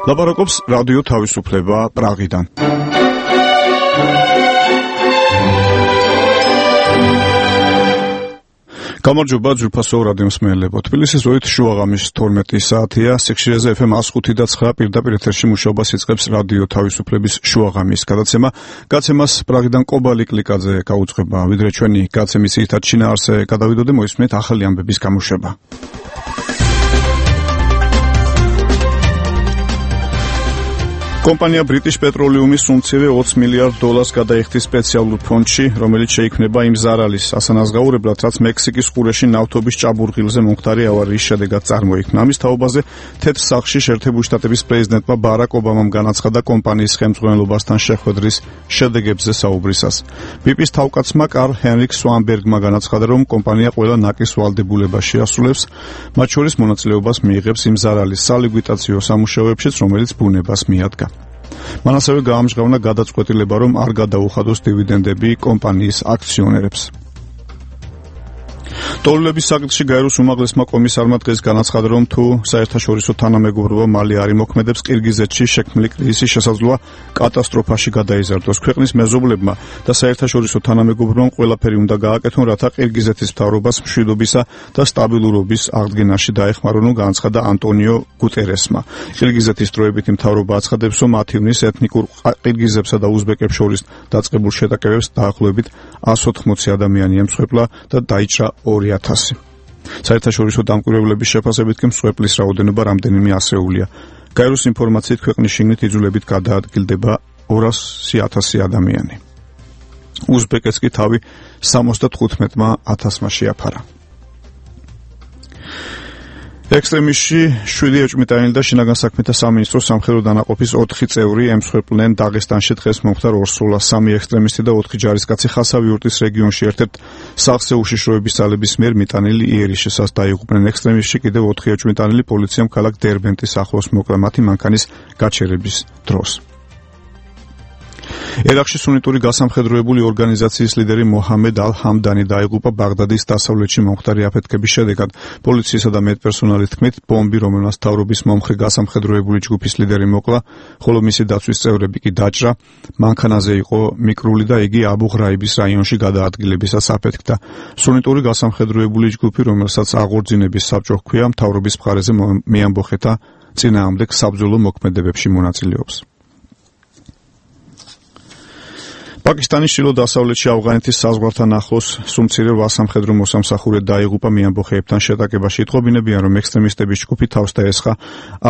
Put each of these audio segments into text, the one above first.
ლაპარაკობს რადიო თავისუფლება პრაღიდან. გამარჯობა ძვირფასო რადიო მსმენელებო. თბილისის ზღვით შუაღამის 12 საათია. სიხშირეზე FM 105.9 პირდაპირ ეთერში მუშაობას იწყებს რადიო თავისუფლების შუაღამის გადაცემა. გაცემას პრაღიდან კობალი კლიკაძე გაუძღვება. ვიდრე ჩვენი გაცემის ძირითად შინაარსზე გადავიდოდე, მოისმენთ ახალი ამბების გამოშვება. კომპანია British Petroleum-ის უმცირე $20 მილიარდ გადაიხდის სპეციალურ ფონდში, რომელიც შეიქმნება იმ ზარალის ასანაზღაურებლად, რაც მექსიკის ყურეში ნავთობის ჭაბურღილზე მომხდარი ავარიის შედეგად წარმოიქმნა. ამის თაობაზე თეთრ სახლში შეერთებული შტატების პრეზიდენტმა ბარაკ ობამამ განაცხადა კომპანიის ხელმძღვანელობასთან შეხვედრის შედეგებზე საუბრისას. BP-ის თავკაცმა კარლ ჰენრიკ სვანბერგმა განაცხადა, რომ კომპანია ყველა ნაკის ვალდებულებას შეასრულებს, მათ შორის მონაწილეობას მიიღებს იმ ზარალის სალიკვიდაციო სამუშაოებშიც, რომელიც ბუნებას მიადგა. მან ასევე გაამჟღავნა გადაწყვეტილება, რომ არ გადაუხადოს დივიდენდები კომპანიის აქციონერებს. დოლარების საკითხში გაეროს უმაღლესმა კომისარმა დღეს განაცხადა, რომ თუ საერთაშორისო თანამეგობრობა მალე არ იმოქმედებს, ყირგიზეთში შექმნილი კრიზისი შესაძლოა კატასტროფაში გადაიზარდოს. ქვეყნის მეზობლებმა და საერთაშორისო თანამეგობრობამ ყველაფერი უნდა გააკეთონ, რათა ყირგიზეთის მთავრობას მშვიდობისა და სტაბილურობის აღდგენაში დაეხმარონ, განაცხადა ანტონიო გუტერესმა. ყირგიზეთის დროებითი მთავრობა აცხადებს, რომ 10 ივნის ეთნიკურ ყირგიზებსა და უზბეკებს შორის დაწყებულ შეტაკებებს დაახლოებით 180 ადამიანი ემსხვერპლა და დაიჭრა 2000. საერთაშორისო დამკვირვებლების შეფასებით კი მსხვერპლის რაოდენობა რამდენიმე ასეულია. გაეროს ინფორმაციით ქვეყნის შიგნით იძულებით გადაადგილდება 200,000 ადამიანი. უზბეკეთს კი თავი 75,000-მა შეაფარა. ექსტრემისტში 7 ეჭვმიტანილი და შინაგან საქმეთა სამინისტროს სამხედრო დანაყოფის 4 წევრი ემსხვერპლნენ დაღესტანში დღეს მომხდარ ორსროლას. 3 ექსტრემისტი და 4 ჯარისკაცი ხასავიურტის რეგიონში ერთ-ერთ სახლზე უშიშროების ძალების მიერ მიტანილი იერიშესას დაიღუპნენ. ექსტრემისტში კიდევ 4 ეჭვმიტანილი პოლიციამ ქალაქ დერბენტის ახლოს მოკლა მათი მანქანის გაჩერების დროს. ერაყში სუნიტური გასამხედროებული ორგანიზაციის ლიდერი მოჰამედ ალ-ჰამდანი დაიღუპა ბაღდადის დასავლეთში მომხდარი აფეთქების შედეგად. პოლიციისა და მედპერსონალის თქმით, ბომბი, რომელმაც მთავრობის მომხრე გასამხედროებული ჯგუფის ლიდერი მოკლა, ხოლო მისი დაცვის წევრები კი დაჭრა, მანქანაზე იყო მიკრული და იგი აბუ-ღრაიბის რაიონში გადაადგილებისას აფეთქდა. სუნიტური გასამხედროებული ჯგუფი, რომელსაც აღორძინების საბჭო ჰქვია, მთავრობის მხარეზე მეამბოხეთა წინააღმდეგ საბრძოლო მოქმედებებში მონაწილეობს. პაკისტანის ჩრდილო-დასავლეთში ავღანეთის საზღვართან ახლოს სუმცირე ვასამხედრო მოსამსახურე დაიღუპა მეამბოხეებთან შეტაკებაში. იტყობინებიან, რომ ექსტრემისტების ჯგუფი თავს დაესხა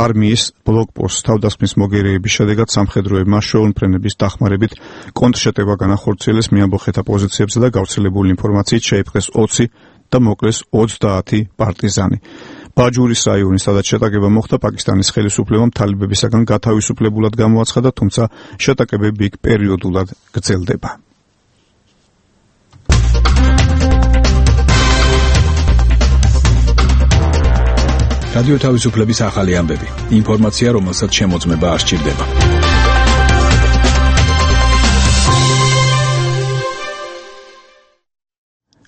არმიის ბლოკპოსტს. თავდასხმის მოგერიების შედეგად სამხედროებმა შეუნფრენების დახმარებით კონტრშეტევა განახორციელეს მეამბოხეთა პოზიციებზე და გავრცელებული ინფორმაციით შეიპყრეს 20 და მოკლეს 30 პარტიზანი. ბაჯურის რაიონი, სადაც შეტაკება მოხდა, პაკისტანის ხელისუფლებამ თალიბებისაგან გათავისუფლებულად გამოაცხადა, თუმცა შეტაკებები იქ პერიოდულად გრძელდება. რადიო თავისუფლების ახალი ამბები. ინფორმაცია, რომელსაც შემოწმება არ სჭირდება.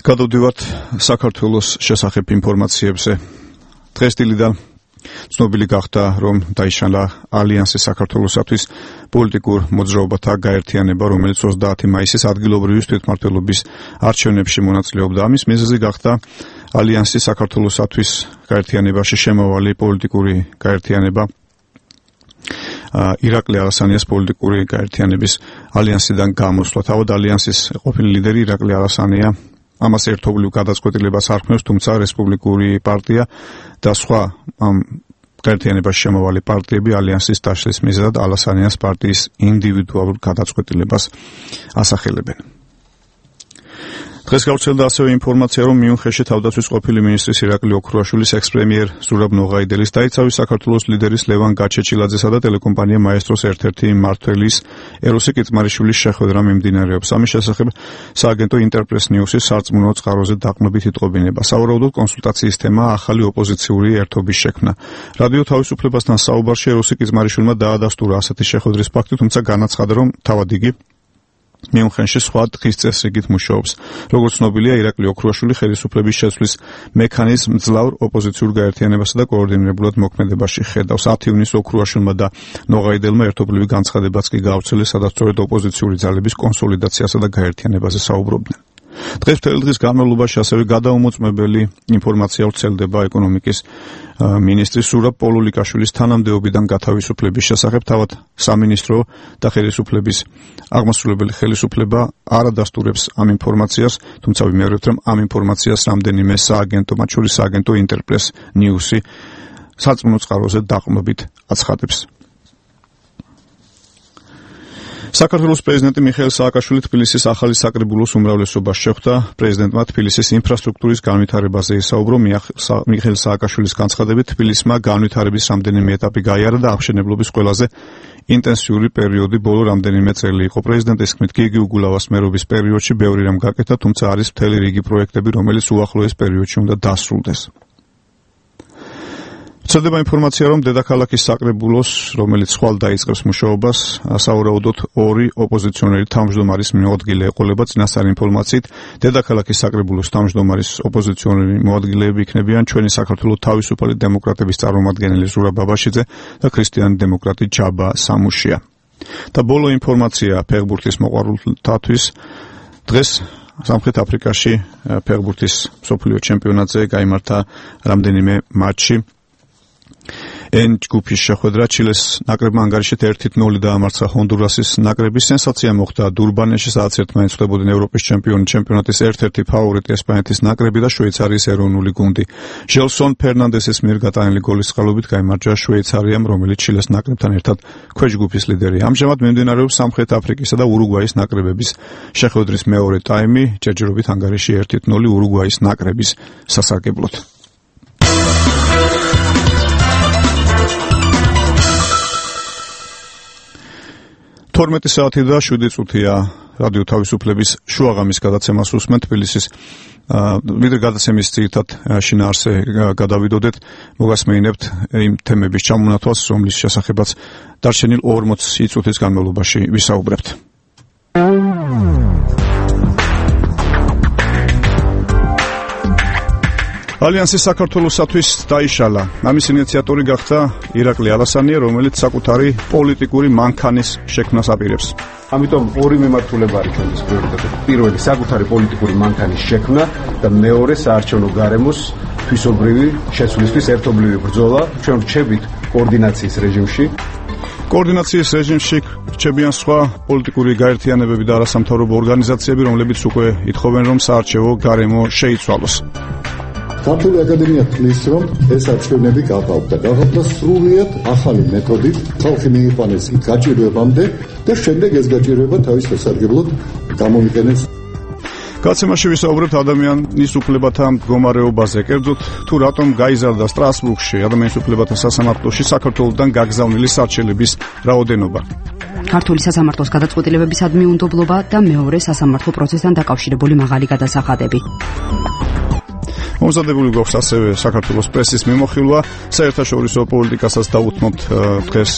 გადავდივართ საქართველოს შესახებ ინფორმაციებზე. დღეს დილიდან ცნობილი გახდა, რომ დაიშალა ალიანსის საქართველოსათვის პოლიტიკურ მოძრაობათა გაერთიანება, რომელიც 30 მაისის ადგილობრივი თვითმმართველობის არჩევნებში მონაწილეობდა. ამის მიზეზი გახდა ალიანსის საქართველოსათვის გაერთიანებაში შემავალი პოლიტიკური გაერთიანება ირაკლი არასანიას პოლიტიკური გაერთიანების ალიანსიდან გამოსვლა. თავად ალიანსის ყოფილი ლიდერი ირაკლი არასანია ამას ერთობლივ გადაწყვეტილებას არქმევს, თუმცა რესპუბლიკური პარტია და სხვა გაერთიანებაში შემავალი პარტიები ალიანსის დაშლის მიზეზად არასანიას პარტიის ინდივიდუალურ გადაწყვეტილებას ასახელებენ. დღეს გავრცელდა ასევე ინფორმაცია, რომ მიუნხენში თავდაცვის ყოფილი მინისტრის ირაკლი ოქრუაშვილის ექს-პრემიერ ზურაბ ნოღაიდელის დაიცავი საქართველოს ლიდერის ლევან გაჩეჩილაძესა და ტელეკომპანია მაესტროს ერთ-ერთი მმართველის ეროსი კიწმარიშვილის შეხვედრა მიმდინარეობს. ამის შესახებ სააგენტო ინტერპრეს ნიუსის სარწმუნო წყაროზე დაყრდნობით იტყობინება. სავარაუდოდ კონსულტაციის თემა ახალი ოპოზიციური ერთობის შექმნა. რადიო თავისუფლებასთან საუბარში ეროსი კიწმარიშვილმა დაადასტურა ასეთი შეხვედრის ფაქტი, თუმცა განაცხადა, რომ თავად იგი მიუნხენში სხვა დღის წესრიგით მუშაობს. როგორც ცნობილია, ირაკლი ოქრუაშვილი ხელისუფლების შეცვლის მექანიზმს მძლავრ ოპოზიციურ გაერთიანებასა და კოორდინირებულად მოქმედებაში ხედავს. 10 ივნისს ოქრუაშვილმა და ნოღაიდელმა ერთობლივი განცხადებაც კი გაავრცელეს, სადაც სწორედ ოპოზიციური ძალების კონსოლიდაციასა და გაერთიანებაზე საუბრობდნენ. დღეს მთელი დღის განმავლობაში ასევე გადაუმოწმებელი ინფორმაცია ვრცელდება ეკონომიკის მინისტრის სურაბ პოლულიკაშვილის თანამდებობიდან გათავისუფლების შესახებ. თავად სამინისტრო და ხელისუფლების აღმასრულებელი ხელისუფლება არ ადასტურებს ამ ინფორმაციას, თუმცა ვიმეორებთ, რომ ამ ინფორმაციას რამდენიმე სააგენტო, მათ შორის სააგენტო ინტერპრეს ნიუსი სარწმუნო წყაროზე დაყრდნობით აცხადებს. საქართველოს პრეზიდენტი მიხეილ სააკაშვილი თბილისის ახალი საკრებულოს უმრავლესობას შეხვდა. პრეზიდენტმა თბილისის ინფრასტრუქტურის განვითარებაზე ისაუბრო. მიხეილ სააკაშვილის განცხადებით, თბილისმა განვითარების რამდენიმე ეტაპი გაიარა და აღშენებლობის ყველაზე ინტენსიური პერიოდი ბოლო რამდენიმე წელი იყო. პრეზიდენტის თქმით, გიგი უგულავას მერობის პერიოდში ბევრი რამ გაკეთა, თუმცა არის მთელი რიგი პროექტები, რომელიც უახლოეს პერიოდში უნდა დასრულდეს. ვრცელდება ინფორმაცია, რომ დედაქალაქის საკრებულოს, რომელიც ხვალ დაიწყებს მუშაობას, სავარაუდოდ 2 ოპოზიციონერი თავმჯდომარის მოადგილე ეყოლება. წინასწარი ინფორმაციით, დედაქალაქის საკრებულოს თავმჯდომარის ოპოზიციონერი მოადგილეები იქნებიან ჩვენი საქართველოს თავისუფალი დემოკრატების წარმომადგენელი ზურაბ ბაბაშიძე და ქრისტიანი დემოკრატი ჯაბა სამუშია. და ბოლო ინფორმაცია ფეხბურთის მოყვარულთათვის დღეს სამხრეთ აფრიკაში ფეხბურთის მსოფლიო ჩემპიონატზე გაიმართა რამდენიმე მატჩი. ჯგუფის შეხვედრა ჩილეს ნაკრებმა ანგარიშით 1-0 დაამარცხა ჰონდურასის ნაკრები. სენსაცია მოხდა დურბანეში, სადაც ერთმანეთს ხვდებოდნენ ევროპის ჩემპიონატის ერთ-ერთი ფავორიტი ესპანეთის ნაკრები და შვეიცარიის ეროვნული გუნდი. ჟელსონ ფერნანდესის მიერ გატანილი გოლის წყალობით გაიმარჯვა შვეიცარიამ, რომელიც ჩილეს ნაკრებთან ერთად ქვეჯგუფის ლიდერია. ამჟამად მიმდინარეობს სამხრეთ აფრიკისა და ურუგვაის ნაკრებების შეხვედრის მეორე ტაიმი. ჯერჯერობით ანგარიში 1-0 ურუგვაის ნაკრების სასარგებლოდ. 12 საათი და 7 წუთია რადიო თავისუფლების შუაღამის გადაცემას უსმენთ. თბილისის ვიდრე გადაცემის ძირითად შინაარსზე გადავიდოდეთ, მოგასმენინებთ იმ თემების ჩამონათვალს, რომლის შესახებაც დარჩენილ 40 წუთის განმავლობაში ვისაუბრებთ. ალიანსი საქართველოსათვის დაიშალა. ამის ინიციატორი გახდა ირაკლი ალასანია, რომელიც საკუთარი პოლიტიკური მანქანის შექმნას აპირებს. ამიტომ ორი მიმართულება არის ჩვენთვის პრიორიტეტი. პირველი საკუთარი პოლიტიკური მანქანის შექმნა და მეორე საარჩევნო გარემოს თვისობრივი შესვლისთვის ერთობლივი ბრძოლა. ჩვენ რჩებით კოორდინაციის რეჟიმში. კოორდინაციის რეჟიმში რჩებიან სხვა პოლიტიკური გაერთიანებები და არასამთავრობო ორგანიზაციები, რომლებიც უკვე ითხოვენ, რომ საარჩევნო გარემო შეიცვალოს. ქართული აკადემია თვლის, რომ ეს არჩევნები გაყავდა სრულიად ახალი მეთოდით, ხალხი მიიყვანეს იქ გაჭირვებამდე და შემდეგ ეს გაჭირვება თავის სასარგებლოდ გამოიყენეს. გადაცემაში ვისაუბრებთ ადამიანის უფლებათა მდგომარეობაზე. კერძოდ, თუ რატომ გაიზარდა სტრასბურგში ადამიანის უფლებათა სასამართლოში საქართველოსთან გაგზავნილი სარჩელების რაოდენობა. ქართული სასამართლოს გადაწყვეტილებების ადმიუნდობლობა და მეორე სასამართლო პროცესთან დაკავშირებული მაღალი გადასახადები. მომზადებული გვაქვს ასევე საქართველოს პრესის მიმოხილვა, საერთაშორისო პოლიტიკასაც დაუთმობთ დღეს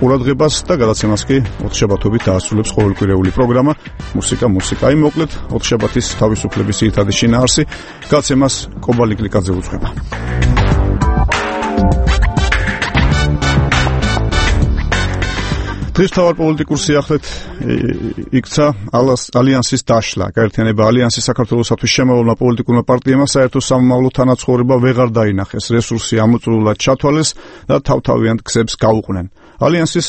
ყურადღებას და გადაცემას კი ოთხშაბათობით დაასრულებს ყოველკვირეული პროგრამა მუსიკა. აი მოკლედ ოთხშაბათის თავისუფლების ძირითადი შინაარსი. გადაცემას კობალი კლიკაძე უძღვება. დღეს თავარ პოლიტიკურ სიახლეთ იქცა ალიანსის დაშლა. გაერთიანება ალიანსი საქართველოსათვის შემოვალმა პოლიტიკურმა პარტიებმა საერთო სამომავლო თანაცხოვრება ვეღარ დაინახეს. რესურსი ამოწურულად ჩათვალეს და თავთავიანთ გზებს გაუყნენ. ალიანსის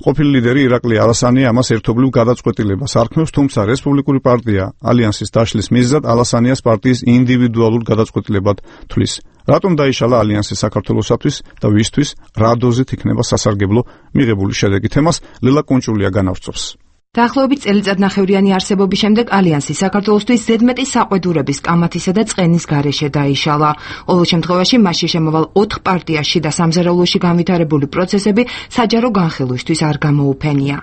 ყოფილი ლიდერი ირაკლი ალასანია ამას ერთობლივ გადაწყვეტილებას არქმევს, თუმცა რესპუბლიკური პარტია ალიანსის დაშლის მიზეზად ალასანიას პარტიის ინდივიდუალურ გადაწყვეტილებად თვლის. რატომ დაიშალა ალიანსი საქართველოსათვის და ვისთვის, რა დოზით იქნება სასარგებლო მიღებული შედეგი? თემას ლელა კუნჭულია განავრცობს. დაახლოებით წელიწადნახევრიანი არსებობის შემდეგ ალიანსი საქართველოსთვის ზედმეტი საყვედურების, კამათისა და წყენის გარეშე დაიშალა. ყოველ შემთხვევაში მასში შემოვალ 4 პარტიაში და სამზარეულოში განვითარებული პროცესები საჯარო განხილვისთვის არ გამოუფენია.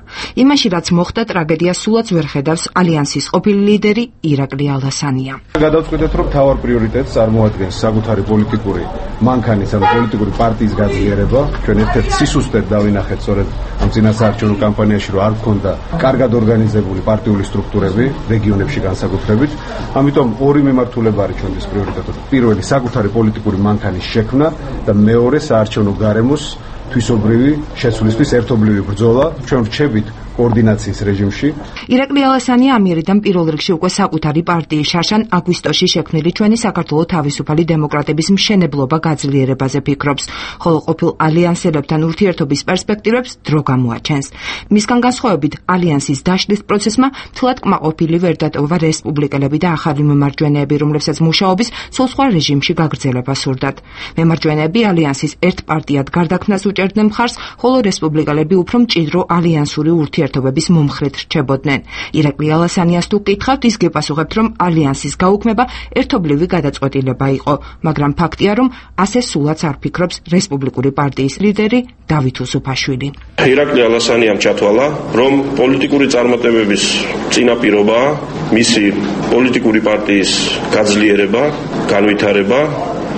იმაში, რაც მოხდა, ტრაგედიას სულაც ვერ ხედავს ალიანსის ყოფილი ლიდერი ირაკლი ალასანია. გადავწყვეტეთ, რომ თავარ პრიორიტეტს წარმოადგენს საკუთარი პოლიტიკური მანქანის ან პოლიტიკური პარტიის გაძლიერება. ჩვენ ერთ-ერთ სისუსტედ დავინახეთ სწორედ ამ წინასაარჩევნო კამპანიაში, რომ არ გქონდა კარგი კარგად ორგანიზებული პარტიული სტრუქტურები რეგიონებში განსაკუთრებით. ამიტომ ორი მიმართულება არის ჩვენთვის პრიორიტეტი. პირველი საკუთარი პოლიტიკური მანქანის შექმნა და მეორე საარჩევნო გარემოს თვისობრივი შესვლისთვის ერთობლივი ბრძოლა. ჩვენ რჩებით კოორდინაციის რეჟიმში. ირაკლი ალასანია ამიერიდან პირველ რიგში უკვე საკუთარი პარტიის შარშან აგვისტოში შექმნილი ჩვენი საქართველოს თავისუფალი დემოკრატების მშენებლობა გაძლიერებაზე ფიქრობს, ხოლო ყოფილ ალიანსელებთან ურთიერთობის პერსპექტივებს დრო გამოაჩენს. მისგან განსხვავებით, ალიანსის დაშლის პროცესმა მთლად კმაყოფილი ვერ დატოვა რესპუბლიკელები და ახალი მემარჯვენეები, რომლებსაც მუშაობის სულ სხვა რეჟიმში გაგრძელება სურდათ. მემარჯვენეები ალიანსის ერთ პარტიად გარდაქმნას უჭერდნენ მხარს, ხოლო რესპუბლიკელები უფრო მჭიდრო ალიანსური ურთიერთობების მომხრედ რჩებოდნენ. ირაკლი ალასანიას თუ გკითხავთ, ის გეპასუხებთ, რომ ალიანსის გაუქმება ერთობლივი გადაწყვეტილება იყო, მაგრამ ფაქტია, რომ ასე სულაც არ ფიქრობს რესპუბლიკური პარტიის ლიდერი დავით უსუფაშვილი. ირაკლი ალასანიამ ჩათვალა, რომ პოლიტიკური წარმატებების წინაპირობაა მისი პოლიტიკური პარტიის გაძლიერება, განვითარება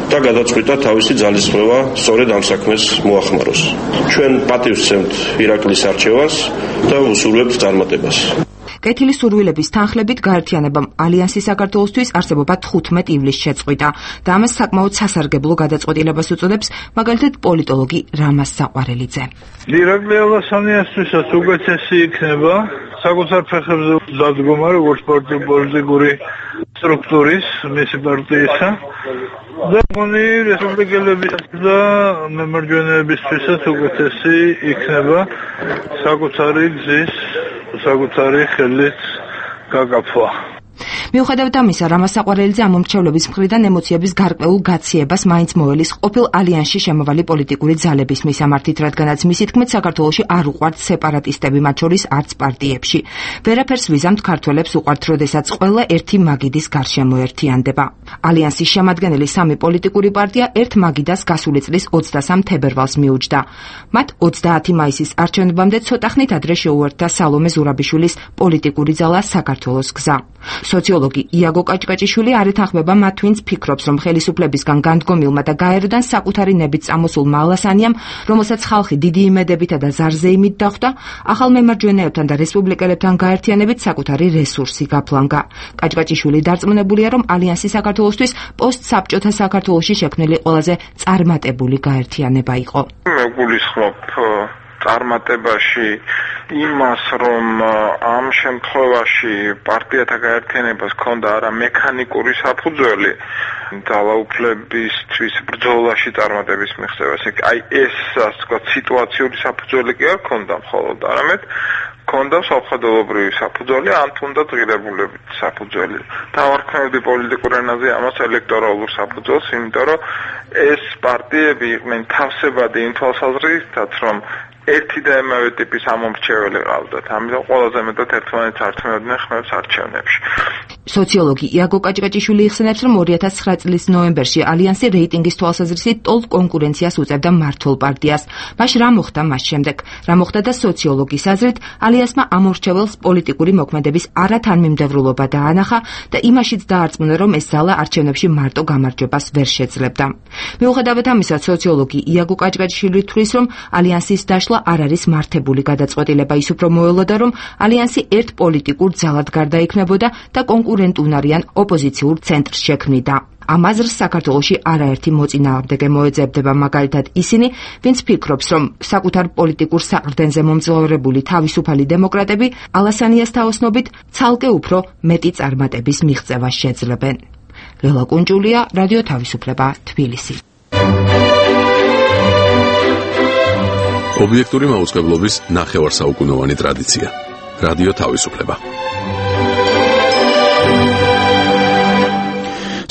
და გადაწყვიტა თავისი ძალისხმევა სწორედ ამ საქმეს მოახმაროს. ჩვენ პატივს ვცემთ ირაკლის არჩევას და ვუსურვებთ წარმატებას. კეთილი სურვილების თანხლებით გაერთიანებამ ალიანსი საქართველოსთვის არსებობა 15 ივლისს შეწყვიტა და ამას საკმაოდ სასარგებლო გადაწყვეტილებას უწოდებს მაგალითად პოლიტოლოგი რამაზ საყვარელიძე. ირაკლი ალასანიასთვისაც უკეთესი იქნება საკუთარ ფეხებზე დადგომა როგორც პოლიტიკური სტრუქტურის მისი პარტიისა და მoni რესპუბლიკელების და მემარჯვენეებისთვისაც უკეთესი იქნება საკუთარი გზის საკუთარი ხელით გაგაფვა. მიუხედავად ამისა, რამაზ საყვარელიძე ამ მომრჩევლების მხრიდან ემოციების გარკვეულ გაციებას მაინც მოელის ყოფილ ალიანსში შემოვალი პოლიტიკური ძალების მისამართით, რადგანაც მისი თქმით საქართველოში არ უყვართ სეპარატისტები, მათ შორის არც პარტიებში. ვერაფერს ვიზამთ ქართველებს უყვართ, როდესაც ყველა ერთი მაგიდის გარშემო ერთიანდება. ალიანსის შემადგენელი სამი პოლიტიკური პარტია ერთ მაგიდას გასული წლის 23 თებერვალს მიუჯდა. მათ 30 მაისის არჩევნებამდე ცოტახნით ადრე შეუერთდა სალომე ზურაბიშვილის პოლიტიკური ძალა საქართველოს გზა. სოციოლოგი იაგო კაჭკაჭიშვილი არ ეთანხმება მათ, ვინც ფიქრობს, რომ ხელისუფლებისგან განდგომილმა და გაეროდან საკუთარი ნებით წამოსულმა ალასანიამ, რომელსაც ხალხი დიდი იმედებითა და ზარზეიმით დახვდა, ახალ მემარჯვენეებთან და რესპუბლიკელებთან გაერთიანებით საკუთარი რესურსი გაფლანგა. კაჭკაჭიშვილი დარწმუნებულია, რომ ალიანსი საქართველოსთვის პოსტსაბჭოთა საქართველოში შექმნილი ყველაზე წარმატებული გაერთიანება იყო. მეგულისხმობ წარმატებაში იმას, რომ ამ შემთხვევაში პარტიათა გაერთიანებას ჰქონდა არა მექანიკური საფუძველი ძალაუფლებისთვის ბრძოლაში წარმატების მიღწევას. აი ეს ასე ვთქვათ სიტუაციური საფუძველი კი არ ჰქონდა მხოლოდ, არამედ ჰქონდა სამხედროებრივი საფუძველი, ან თუნდაც ღირებულებით საფუძველი. დავარქმევდი პოლიტიკურ ენაზე ამას ელექტორალურ საფუძველს, იმიტომ რომ ეს პარტიები იყვნენ თავსებადი იმ თვალსაზრისით, რომ ერთი და იმავე ტიპის ამომრჩეველი ყავდათ. ამიტომ ყველაზე მეტად ერთმანეთს ართმევდნენ ხმებს არჩევნებში. სოციოლოგი იაგო კაჭკაჭიშვილი იხსენებს, რომ 2009 წლის ნოემბერში ალიანსი რეიტინგის თვალსაზრისით ტოლ კონკურენციას უწევდა მართლ პარტიას. მაშ რა მოხდა მას შემდეგ? რა მოხდა და სოციოლოგის აზრით ალიანსმა ამორჩეველს პოლიტიკური მოქმედების არათანმიმდევრულობა დაანახა და იმაშიც დაარწმუნა, რომ ეს ძალა არჩევნებში მარტო გამარჯვებას ვერ შეძლებდა. მიუხედავად ამისა, სოციოლოგი იაგო კაჭკაჭიშვილი თვლის, რომ ალიანსის დაშლა არ არის მართებული გადაწყვეტილება, ის უფრო მოელოდა, რომ ალიანსი ერთ პოლიტიკურ ძალად გარდაიქმნებოდა და კონკურენტუნარიან ოპოზიციურ ცენტრს შექმნიდა. ამ აზრს საქართველოში არაერთი მოწინააღმდეგე მოეძებდება, მაგალითად ისინი, ვინც ფიქრობს, რომ საკუთარ პოლიტიკურ საყრდენზე მომძლავრებული თავისუფალი დემოკრატები ალასანიას თაოსნობით ცალკე უფრო მეტი წარმატების მიღწევას შეძლებენ. ლელა კუნჭულია, რადიო თავისუფლება, თბილისი. ობიექტური მაუწყებლობის ნახევარსაუკუნოვანი ტრადიცია. რადიო თავისუფლება.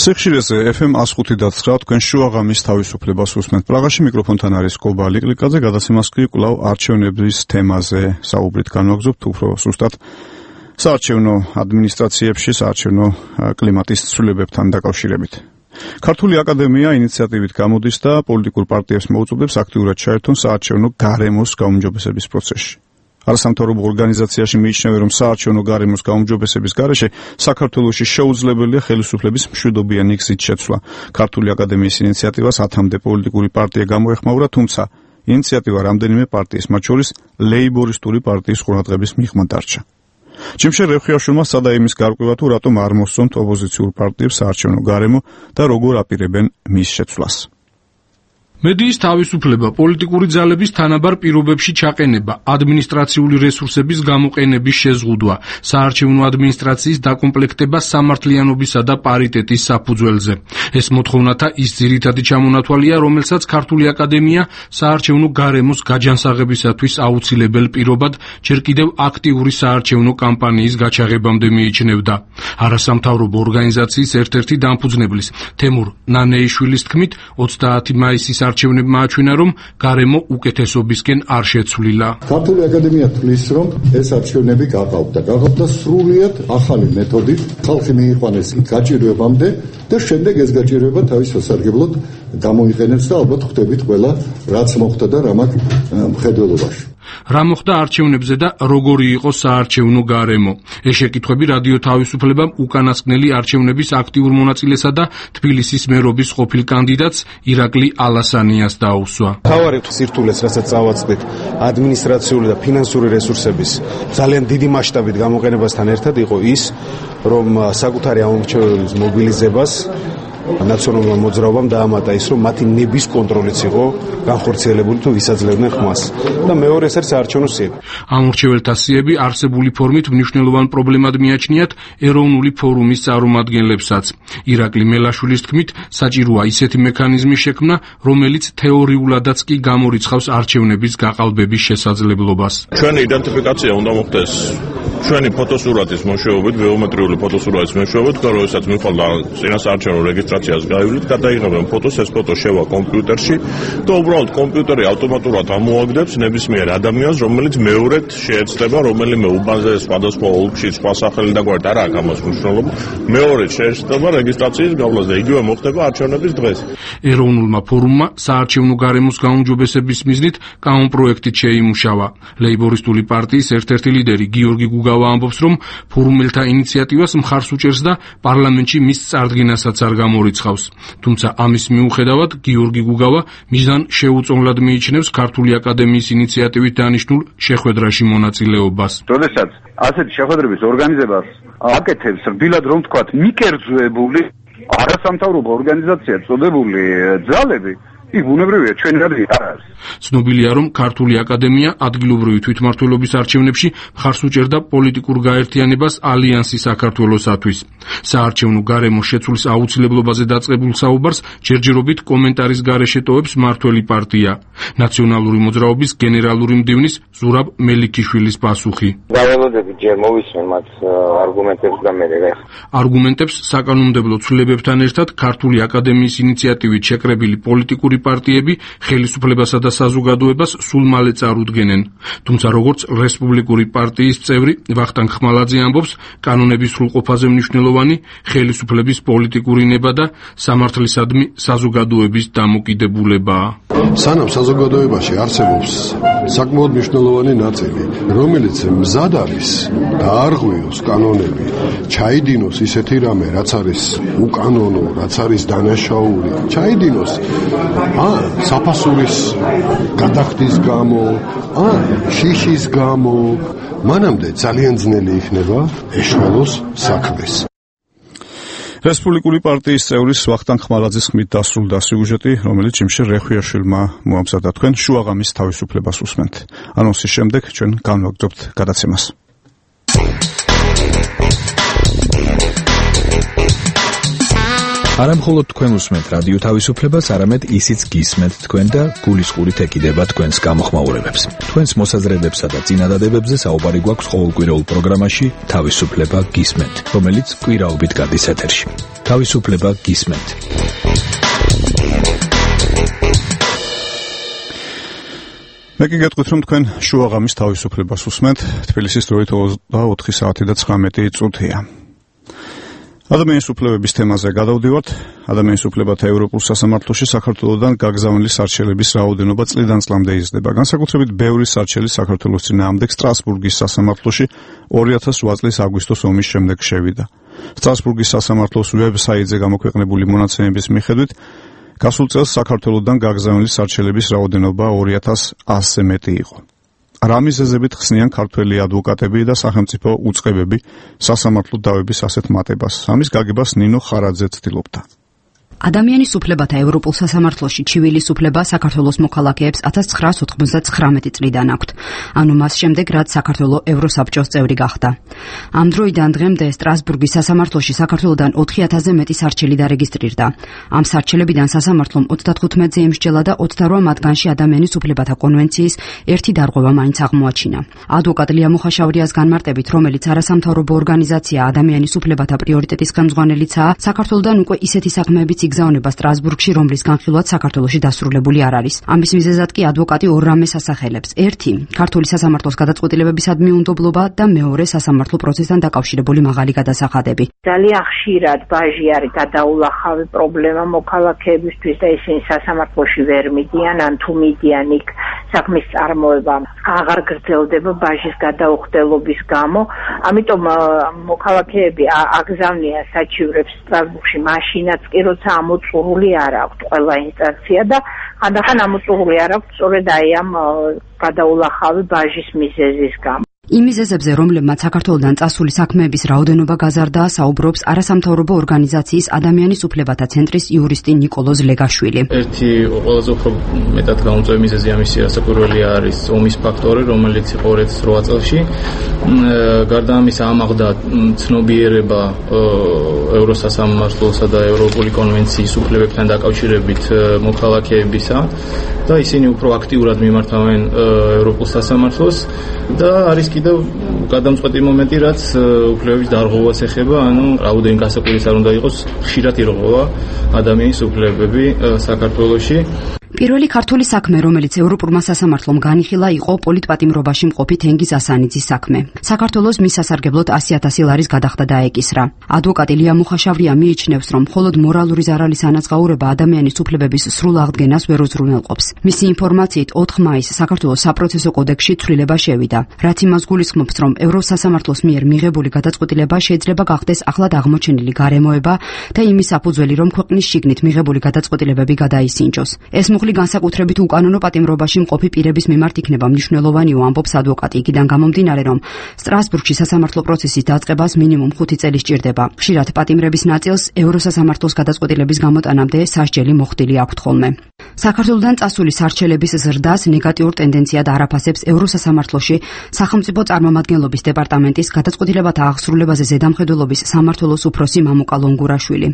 სიხშირეზე FM 105.9 თქვენ შუაღამის თავისუფლებას უსმენთ. პრაღაში მიკროფონთან არის კობა ლიკლიკაძე, გადაცემას კი კვლავ არჩევნების თემაზე საუბრით განვაგრძობთ, უფრო სუსტად საარჩევნო ადმინისტრაციებში, საარჩევნო კლიმატის ცვლილებებთან დაკავშირებით. ქართული აკადემია ინიციატივით გამოდის და პოლიტიკურ პარტიებს მოუწოდებს აქტიურად ჩაერთონ საარჩევნო გარემოს გაუმჯობესების პროცესში. არასამთავრობო ორგანიზაციაში მიიჩნევენ, რომ საარჩევნო გარემოს გაუმჯობესების გარეშე საქართველოში შეუძლებელია ხელისუფლების მშვიდობიანი გზით შეცვლა. ქართული აკადემიის ინიციატივას 10-მდე პოლიტიკური პარტია გამოეხმაურა, თუმცა ინიციატივა რამდენიმე პარტიის, მათ შორის ლეიბორისტული პარტიის ყურადღების მიღმა დარჩა. ჯიმშერ რეხიაშვილმა სცადა იმის გარკვევა თუ რატომ არ მოსწონთ ოპოზიციურ პარტიებს საარჩევნო გარემო და როგორ აპირებენ მის შეცვლას. მედიის თავისუფლება, პოლიტიკური ძალების თანაბარ პირობებში ჩაყენება, ადმინისტრაციული რესურსების გამოყენების შეზღუდვა, საარჩევნო ადმინისტრაციის დაკომპლექტება სამართლიანობისა და პარიტეტის საფუძველზე. ეს მოთხოვნათა ის ძირითადი ჩამონათვალია, რომელსაც ქართული აკადემია საარჩევნო გარემოს გაჯანსაღებისათვის აუცილებელ პირობად ჯერ კიდევ აქტიური საარჩევნო კამპანიის გაჩაღებამდე მიიჩნევდა. არასამთავრობო ორგანიზაციის ერთ-ერთი დამფუძნებლის თემურ ნანეიშვილის თქმით, 30 მაისის არჩევნებმა აჩვენა, რომ გარემო უკეთესობისკენ არ შეცვლილა. ქართული აკადემია თვლის, რომ ეს არჩევნები გაყავდა სრულიად ახალი მეთოდით, ხალხი მიიყვანეს გაჭირვებამდე და შემდეგ ეს გაჭირვება თავის სასარგებლოდ გამოიყენებს და ალბათ ხვდებით ყველა რაც მოხდა და რა მაქვს მხედველობაში. რა მოხდა არჩევნებზე და როგორი იყო საარჩევნო გარემო? ეს შეკითხვები რადიო თავისუფლებამ უკანასკნელი არჩევნების აქტიურ მონაწილესა და თბილისის მერობის ყოფილ კანდიდატს ირაკლი ალასანიას დაუსვა. თავარი სირთულეს, რასაც წავაწყდით, ადმინისტრაციული და ფინანსური რესურსების ძალიან დიდი მასშტაბით გამოყენებასთან ერთად იყო ის, რომ საკუთარი ამომრჩევლის მობილიზებას ნაციონალურმა მოძრაობამ დაამატა ის, რომ მათი ნების კონტროლიც იყო განხორციელებული თუ ვისაძლევდნენ ხმას. და მეორე ეს არის საარჩევნო სიები. ამორჩეველთა სიები არსებული ფორმით მნიშვნელოვან პრობლემად მიაჩნიათ ეროვნული ფორუმის წარმომადგენლებსაც. ირაკლი მელაშვილის თქმით, საჭიროა ისეთი მექანიზმის შექმნა, რომელიც თეორიულადაც კი გამორიცხავს არჩევნების გაყალბების შესაძლებლობას. ჩვენი იდენტიფიკაცია უნდა მოხდეს ჩვენი ფოტოსურათის მეშვეობით, ბიომეტრიული ფოტოსურათის მეშვეობით, როდესაც მიხვალ წინასაარჩევნო რეგისტრაციას გაივლით, გადაიღებენ ფოტოს, ეს ფოტო შევა კომპიუტერში და უბრალოდ კომპიუტერი ავტომატურად ამოაგდებს ნებისმიერ ადამიანს, რომელიც მეორედ შეეცდება რომელიმე უბანზე სხვადასხვა ოლქში სხვა სახელი და გვერდ არ აქვს ამას მნიშვნელობა, მეორედ შეეცდება რეგისტრაციის გავლას და იგივე მოხდება არჩევნების დღეს. ეროვნულმა ფორუმმა საარჩევნო გარემოს გაუმჯობესების მიზნით კანონპროექტით შეიმუშავა. ლეიბორისტული პარტიის ერთ-ერთი ლიდერი გიორგი გუგავა ამბობს, რომ ფორუმელთა ინიციატივას მხარს უჭერს და პარლამენტში მის წარდგენასაც არ გამორიცხავს. თუმცა ამის მიუხედავად გიორგი გუგავა მიზან შეუწონლად მიიჩნევს ქართული აკადემიის ინიციატივით დანიშნულ შეხვედრაში მონაწილეობას. როდესაც ასეთი შეხვედრების ორგანიზებას აკეთებს რბილად რომ ვთქვათ მიკერძოებული არასამთავრობო ორგანიზაცია წოდებული ძალები, იქ ბუნებრივია ჩვენი რადი არ არის. ცნობილია, რომ ქართული აკადემია ადგილობრივი თვითმმართველობის არჩევნებში მხარს უჭერდა პოლიტიკურ გაერთიანებას ალიანსი საქართველოსათვის. საარჩევნო გარემოს შეცვლის აუცილებლობაზე დაწყებულ საუბარს ჯერჯერობით კომენტარის გარეშე ტოვებს მართველი პარტია. ნაციონალური მოძრაობის გენერალური მდივნის ზურაბ მელიქიშვილის პასუხი. დაველოდებით ჯერ მოვისმენ მათ არგუმენტებს და მე არგუმენტებს საკანონმდებლო ცვლილებებთან ერთად ქართული აკადემიის ინიციატივით შეკრებილი პოლიტიკური პარტიები ხელისუფლებასა და საზოგადოებას სულ მალე წარუდგენენ. თუმცა როგორც რესპუბლიკური პარტიის წევრი ვახტანგ ხმალაძე ამბობს, კანონების სრულყოფაზე მნიშვნელოვანი ხელისუფლების პოლიტიკური ნება და სამართლისადმი საზოგადოების დამოკიდებულებაა. სანამ საზოგადოებაში არსებობს საკმაოდ მნიშვნელოვანი ნაწილი, რომელიც მზად არის დაარღვიოს კანონები, ჩაიდინოს ისეთი რამე, რაც არის უკანონო, რაც არის დანაშაული, ჩაიდინოს საფასურის გადახდის გამო, შიშის გამო, მანამდე ძალიან ძნელი იქნება ეშველოს საქმეს. რესპუბლიკური პარტიის წევრის ვახტანგ ხმალაძის ხმით დასრულდა სიუჟეტი, რომელიც ჯიმშერ რეხიაშვილმა მოამზადა. თქვენ შუაღამის თავისუფლებას უსმენთ. ანონსის შემდეგ ჩვენ განვაგრძობთ გადაცემას. არა მხოლოდ თქვენ უსმენთ რადიო თავისუფლებას, არამედ ისიც გისმენთ თქვენ და გულისყურით ეკიდება თქვენს გამოხმაურებებს. თქვენს მოსაზრებებსა და წინადადებებზე საუბარი გვაქვს ყოველკვირეულ პროგრამაში თავისუფლება გისმენთ, რომელიც კვირაობით გადის ეთერში. თავისუფლება გისმენთ. მე კი გეტყვით, რომ თქვენ შუაღამის თავისუფლებას უსმენთ. თბილისის დროით 24 საათი და 19 წუთია. ადამიანის უფლებების თემაზე გადავდივართ. ადამიანის უფლებათა ევროპულ სასამართლოში საქართველოსთან გაგზავნილი სარჩელების რაოდენობა წლიდან წლამდე იზრდება. განსაკუთრებით ბევრი სარჩელი საქართველოს წინააღმდეგ სტრასბურგის სასამართლოში 2008 წლის აგვისტოს ომის შემდეგ შევიდა. სტრასბურგის სასამართლოს ვებსაიტზე გამოქვეყნებული მონაცემების მიხედვით გასულ წელს საქართველოსთან გაგზავნილი სარჩელების რაოდენობა 2100-ზე მეტი იყო. რა მიზეზებით ხსნიან ქართველი ადვოკატები და სახელმწიფო უწყებები სასამართლო დავების ასეთ მატებას? ამის გაგებას ნინო ხარაძე ცდილობდა. ადამიანის უფლებათა ევროპულ სასამართლოში ჩივილის უფლება საქართველოს მოქალაქეებს 1999 წლიდან აქვთ, ანუ მას შემდეგ, რაც საქართველო ევროსაბჭოს წევრი გახდა. ამ დროიდან დღემდე სტრასბურგის სასამართლოში საქართველოდან 4000-ზე მეტი სარჩელი დარეგისტრირდა. ამ სარჩელებიდან სასამართლომ 35-ზე ემსჯელა და 28 მათგანში ადამიანის უფლებათა კონვენციის ერთი დარღვევა მაინც აღმოაჩინა. ადვოკატ ლია მუხაშავრიას განმარტებით, რომელიც არასამთავრობო ორგანიზაცია ადამიანის უფლებათა პრიორიტეტის ხელმძღვანელიცაა, საქართველოდან უკვე ისეთი საქმეებიც იგზავნება სტრასბურგში, რომლის განხილვაც საქართველოში დასრულებული არ არის. ამის მიზეზად კი ადვოკატი ორ რამეს ასახელებს. ერთი, ქართული სასამართლოს გადაწყვეტილებებისადმი მიუნდობლობა და მეორე, სასამართლო პროცესთან დაკავშირებული მაღალი გადასახადები. ძალიან ხშირად ბაჟი არის გადაულახავი პრობლემა მოქალაქეებისთვის და ისინი სასამართლოში ვერ მიდიან, ან თუ მიდიან იქ საქმის წარმოება აღარ გრძელდება ბაჟის გადაუხდელობის გამო. ამიტომ მოქალაქეები აგზავნიან საჩივრებს სტრასბურგში მაშინაც კი როცა ამოწურული არ აქვთ ყველა ინსტანცია და ხანდახან ამოწურული არ აქვთ სწორედ აი ამ გადაულახავი ბაჟის მიზეზის გამო. იმ მიზეზებზე, რომლებმაც საქართველოდან წასული საქმეების რაოდენობა გაზარდა, საუბრობს არასამთავრობო ორგანიზაციის ადამიანის უფლებათა ცენტრის იურისტი ნიკოლოზ ლეგაშვილი. ერთი ყველაზე უფრო მეტად გამომწვევი მიზეზი ამისი რასაკვირველია არის ომის ფაქტორი, რომელიც იყო 2008 წელში. გარდა ამისა ამაღლდა ცნობიერება ევროსასამართლოსა და ევროპული კონვენციის უფლებებთან დაკავშირებით მოქალაქეებისა და ისინი უფრო აქტიურად მიმართავენ ევროპულ სასამართლოს და არის კიდევ გადამწყვეტი მომენტი, რაც უფლებების დარღვევას ეხება, ანუ რაოდენი გასაკვირის არ უნდა იყოს, ხშირად ირღვევა ადამიანის უფლებები საქართველოში. პირველი ქართული საქმე, რომელიც ევროპულმა სასამართლომ განიხილა, იყო პოლიტპატიმრობაში მყოფი თენგიზ ასანიძის საქმე. საქართველოს მის სასარგებლოდ 100,000 ლარის გადახდა და ეკისრა. ადვოკატი ლია მუხაშავრია მიიჩნევს, რომ მხოლოდ მორალური ზარალის ანაზღაურება ადამიანის უფლებების სრულ აღდგენას ვერ უზრუნველყოფს. მისი ინფორმაციით 4 მაისს საქართველოს საპროცესო კოდექსში ცვლილება შევიდა, რაც იმას გულისხმობს, რომ ევროსასამართლოს მიერ მიღებული გადაწყვეტილება შეიძლება გახდეს ახლად აღმოჩენილი გარემოება და იმის საფუძველი, რომ ქვეყნის შიგნით მიღებული გადაწყვეტილებები გადაისინჯოს. ეს მუხლი განსაკუთრებით უკანონო პატიმრობაში მყოფი პირების მიმართ იქნება მნიშვნელოვანიო, ამბობს ადვოკატი. იქიდან გამომდინარე, რომ სტრასბურგში სასამართლო პროცესის დაწყებას მინიმუმ 5 წელი სჭირდება. ხშირად პატიმრების ნაწილს ევროსასამართლოს გადაწყვეტილების გამოტანამდე სასჯელი მოხდილი აქვთ ხოლმე. საქართველოდან წასული სარჩელების ზრდას ნეგატიურ ტენდენციად არაფასებს ევროსასამართლოში სახელმწიფო წარმომადგენლობის დეპარტამენტის გადაწყვეტილებათა აღსრულებაზე ზედამხედველობის სამმართველოს უფროსი მამუკა ლონგურაშვილი.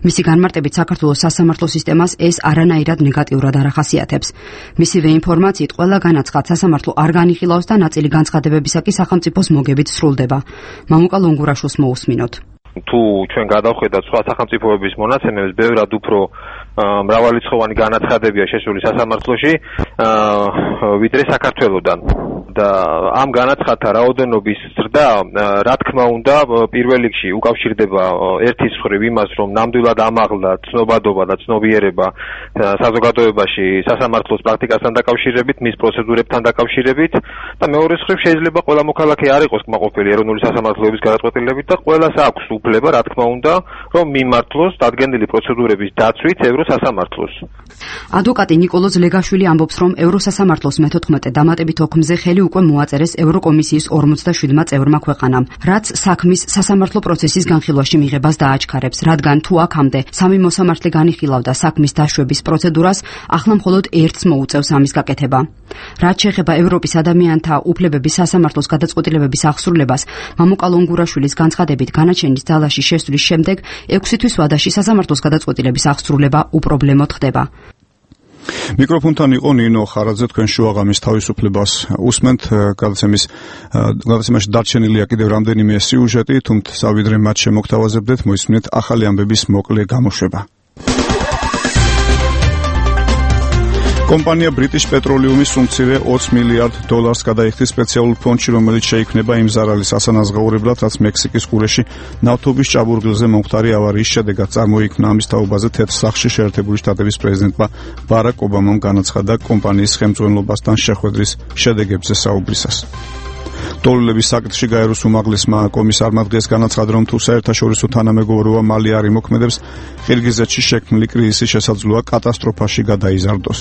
მისი განმარტებით, საქართველოს სასამართლო სისტემას ეს არანაირად ნეგატიურად არ ახასიათებს. მისივე ინფორმაციით, ყველა განაცხად სასამართლო არ განიხილავს და ნაწილი განცხადებებისა კი სახელმწიფოს მოგებით სრულდება. მამუკა ლონგურაშვილს მოусმინოთ. თუ ჩვენ გადავხედავთ სხვა სახელმწიფოების მონაცემებს, ბევრად უფრო მრავალრიცხოვანი განაცხადებია შესული სასამართლოში ვიდრე საქართველოდან. და ამ განაცხადთა რაოდენობის ზრდა, რა თქმა უნდა, პირველ რიგში უკავშირდება ერთის მხრივ იმას, რომ ნამდვილად ამაღლა ცნობადობა და ცნობიერება საზოგადოებაში სასამართლოს პრაქტიკასთან დაკავშირებით, მის პროცედურებთან დაკავშირებით და მეორეს მხრივ შეიძლება ყველა მოქალაქე არ იყოს კმაყოფილი ეროვნული სასამართლოების გადაწყვეტილებით და ყველას აქვს უფლება, რა თქმა უნდა, რომ მიმართლოს დადგენილი პროცედურების დაცვით ევროსასამართლოს. ადვოკატი ნიკოლოზ ლეგაშვილი ამბობს, რომ ევროსასამართლოს მე-14 დამატებით ოქმზე ხელი უკვე მოაწერეს ევროკომისიის 47 წევრმა ქვეყანამ, რაც საქმის სასამართლო პროცესის განხილვაში მიღებას დააჩქარებს, რადგან თუ აქამდე სამი მოსამართლე განიხილავდა საქმის დაშვების პროცედურას, ახლა მხოლოდ ერთს მოუწევს ამის გაკეთება. რაც შეეხება ევროპის ადამიანთა უფლებების სასამართლოს გადაწყვეტილებების აღსრულებას, მამუკა ლონგურაშვილის განცხადებით, განაჩენის ძალაში შესვლის შემდეგ 6 თვის ვადაში სასამართლოს გადაწყვეტილების აღსრულება უპრობლემოდ ხდება. მიკროფონთან იყო ნინო ხარაძე, თქვენ შუაღამის თავისუფლებას უსმენთ. გადაცემაში დარჩენილია კიდევ რამდენიმე სიუჟეტი, თუმცა ვიდრე მათ შემოგთავაზებდეთ, მოისმინეთ ახალი ამბების მოკლე გამოშვება. კომპანია British Petroleum-ის უმცირე $20 მილიარდ გადაიხდის სპეციალურ ფონდში, რომელიც შეიქმნება იმ ზარალის ასანაზღაურებლად, რაც მექსიკის ყურეში ნავთობის ჭაბურღილზე მომხდარი ავარიის შედეგად წარმოიქმნა. ამის თაობაზე თეთრ სახლში შეერთებული შტატების პრეზიდენტმა ბარაკ ობამამ განაცხადა კომპანიის ხელმძღვანელობასთან შეხვედრის შედეგებზე საუბრისას. დოლულების საკითხში გაეროს უმაღლესმა კომისარმა დღეს განაცხადა, რომ თუ საერთაშორისო თანამეგობრობა მალე არ იმოქმედებს, ყირგიზეთში შექმნილი კრიზისი შესაძლოა კატასტროფაში გადაიზარდოს.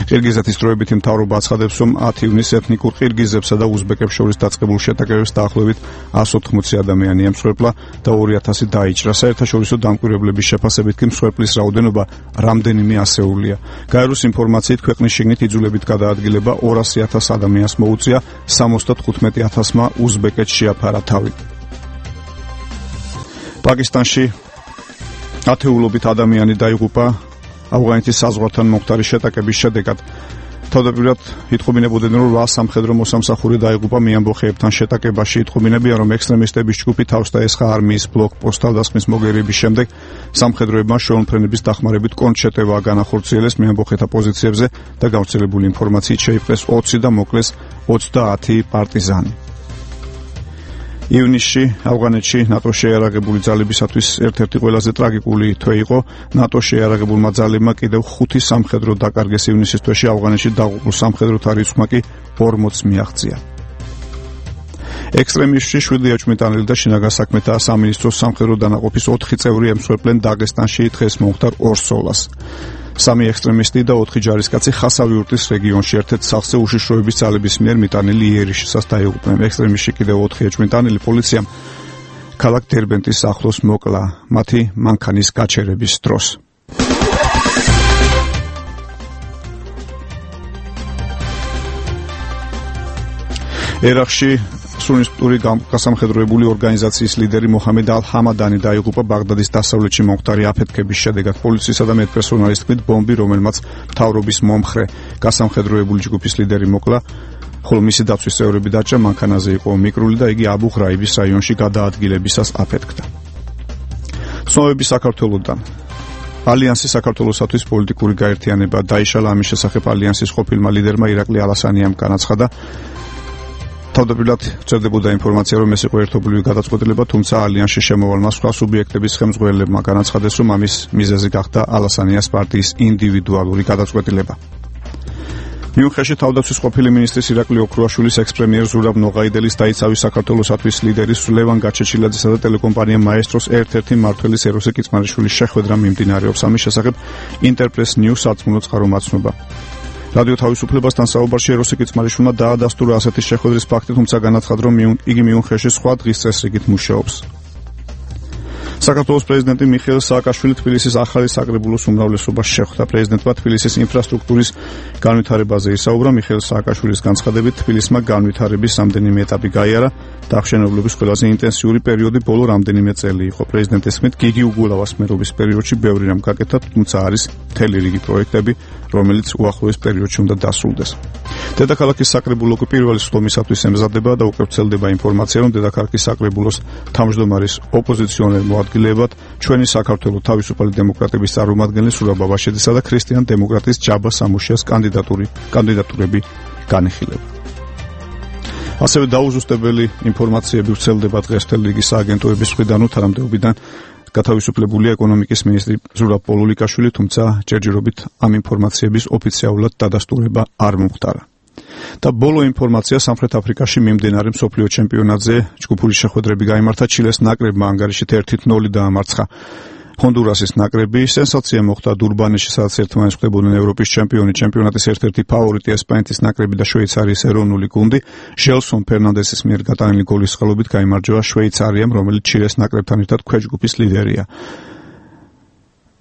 ყირგიზეთის დროებითი მთავრობა აცხადებს, რომ 10 ივნისს ეთნიკურ ყირგიზებსა და უზბეკებს შორის დაწყებულ შეტაკებებს დაახლოებით 180 ადამიანი ემსხვერპლა და 2000 დაიჭრა. საერთაშორისო დამკვირვებლების შეფასებით კი მსხვერპლის რაოდენობა რამდენიმე ასეულია. გაეროს ინფორმაციით ქვეყნის შიგნით იძულებით გადაადგილება 200,000 ადამიანს მოუწია, 75,000-მა უზბეკეთს შეაფარა თავი. პაკისტანში ათეულობით ადამიანი დაიღუპა ავღანეთის საზღვართან მომხდარი შეტაკების შედეგად. თავდაპირველად იტყობინებოდნენ, რომ 8 სამხედრო მოსამსახური დაიღუპა მეამბოხეებთან შეტაკებაში. იტყობინებიან, რომ ექსტრემისტების ჯგუფი თავს დაესხა არმიის ბლოკპოსტს თავდასხმის მოგერიების შემდეგ სამხედროებმა შეუმფრენების დახმარებით კონჩეტევა განახორციელეს მეამბოხეთა პოზიციებზე და გავრცელებული ინფორმაციით შეიპყრეს 20 და მოკლეს 30 პარტიზანი. ივნისში ავღანეთში ნატოს შეიარაღებული ძალებისათვის ერთ-ერთი ყველაზე ტრაგიკული თვე იყო. ნატოს შეიარაღებულმა ძალებმა კიდევ 5 სამხედრო დაკარგეს ივნისის თვეში, ავღანეთში დაღუპულ სამხედროთა რიცხვმა კი 40 მიაღწია. ექსტრემისტში 7 ეჭვმიტანილი და შინაგან საქმეთა სამინისტროს სამხედრო დანაყოფის 4 წევრი ემსხვერპლენ დაგესტანში დღეს მომხდარ ორსოლას. 3 ექსტრემისტი და 4 ჯარისკაცი ხასავიურტის რეგიონში ერთ-ერთ სახლზე უშიშროების ძალების მიერ მიტანილი იერიშისას დაიღუპნენ. ექსტრემისტში კიდევ 4 ეჭვმიტანილი პოლიციამ ქალაქ დერბენტის ახლოს მოკლა მათი მანქანის გაჩერების დროს. ერაყში სუნისტური გასამხედროებული ორგანიზაციის ლიდერი მოჰამედ ალ-ჰამადანი დაიღუპა ბაღდადის დასავლეთში მომხდარი აფეთქების შედეგად. პოლიციისა და მედპერსონალის თქმით, ბომბი, რომელმაც მთავრობის მომხრე გასამხედროებული ჯგუფის ლიდერი მოკლა, ხოლო მისი დაცვის წევრები დაჭრა, მანქანაზე იყო მიკრული და იგი აბუ ღრაიბის რაიონში გადაადგილებისას აფეთქდა. ცნობები საქართველოდან. ალიანსი საქართველოსათვის პოლიტიკური გაერთიანება დაიშალა. ამის შესახებ ალიანსის ყოფილმა ლიდერმა ირაკლი ალასანიამ განაცხადა. თავდაპირველად წერდებოდა ინფორმაცია, რომ ეს იყო ერთობლივი გადაწყვეტილება, თუმცა ალიანსში შემოვალმა სხვა სუბიექტების ხელმძღვანელებმა განაცხადეს, რომ ამის მიზეზი გახდა ალასანიას პარტიის ინდივიდუალური გადაწყვეტილება. მიუნხენში თავდაცვის ყოფილი მინისტრის ირაკლი ოქრუაშვილის ექს-პრემიერ ზურაბ ნოღაიდელის დაიცავის საქართველოსათვის ლიდერის ლევან გაჩეჩილაძესა და ტელეკომპანია მაესტროს ერთ-ერთი მმართველის ეროსე კიცმარიშვილის შეხვედრა მიმდინარეობს. ამის შესახებ ინტერპრეს ნიუს სარწმუნო წყარო მაცნობა. რადიო თავისუფლებასთან საუბარში ეროსე კიცმარიშვილმა დაადასტურა ასეთი შეხვედრის ფაქტი, თუმცა განაცხადა, რომ იგი მიუნხენში სხვა დღის წესრიგით მუშაობს. საქართველოს პრეზიდენტი მიხეილ სააკაშვილი თბილისის ახალი საკრებულოს უმრავლესობას შეხვდა. პრეზიდენტმა თბილისის ინფრასტრუქტურის განვითარებაზე ისაუბრა. მიხეილ სააკაშვილის განცხადებით, თბილისმა განვითარების რამდენიმე ეტაპი გაიარა და აღშენებლობის ყველაზე ინტენსიური პერიოდი ბოლო რამდენიმე წელი იყო. პრეზიდენტის თქმით, გიგი უგულავას მერობის პერიოდში ბევრი რამ გაკეთა, თუმცა არის მთელი რიგი პროექტები, რომელიც უახლოეს პერიოდში უნდა დასრულდეს. დედაქალაქის საკრებულო პირველი სხდომისათვის ემზადება და უკვე ვრცელდება ინფორმაცია, რომ დედაქალაქის საკრებულოს თავმჯდომარის ოპოზიციონერ მოადგილებად ჩვენი საქართველოს თავისუფალი დემოკრატების წარმომადგენელი სურაბ ბაბაშიძისა და ქრისტიან დემოკრატის ჯაბა სამუშიას კანდიდატურები განიხილება. ასევე დაუზუსტებელი ინფორმაციები ვრცელდება დღეს მთელი რიგი სააგენტოების მხრიდან, თანამდებობიდან გათავისუფლებულია ეკონომიკის მინისტრი ზურაბ პოლულიკაშვილი, თუმცა ჯერჯერობით ამ ინფორმაციების ოფიციალურად დადასტურება არ მომხდარა. და ბოლო ინფორმაცია, სამხრეთ აფრიკაში მიმდინარე მსოფლიო ჩემპიონატზე ჯგუფური შეხვედრები გაიმართა. ჩილეს ნაკრებმა ანგარიშით 1-0 დაამარცხა ჰონდურასის ნაკრები. სენსაცია მოხდა დურბანში, სადაც ერთმანეთს ხვდებოდნენ ევროპის ჩემპიონი, ჩემპიონატის ერთ-ერთი ფავორიტი ესპანეთის ნაკრები და შვეიცარიის ეროვნული გუნდი. ჟელსონ ფერნანდესის მიერ გატანილი გოლის წყალობით გაიმარჯვა შვეიცარიამ, რომელიც ჩილეს ნაკრებთან ერთად ქვეჯგუფის ლიდერია.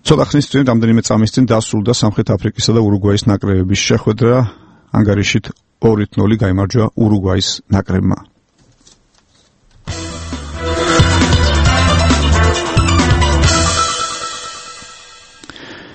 ცოტა ხნის წინ, რამდენიმე წამის წინ დასრულდა სამხრეთ აფრიკისა და ურუგვაის ნაკრებების შეხვედრა. ანგარიშით 2-0 გაიმარჯვა ურუგვაის ნაკრებმა.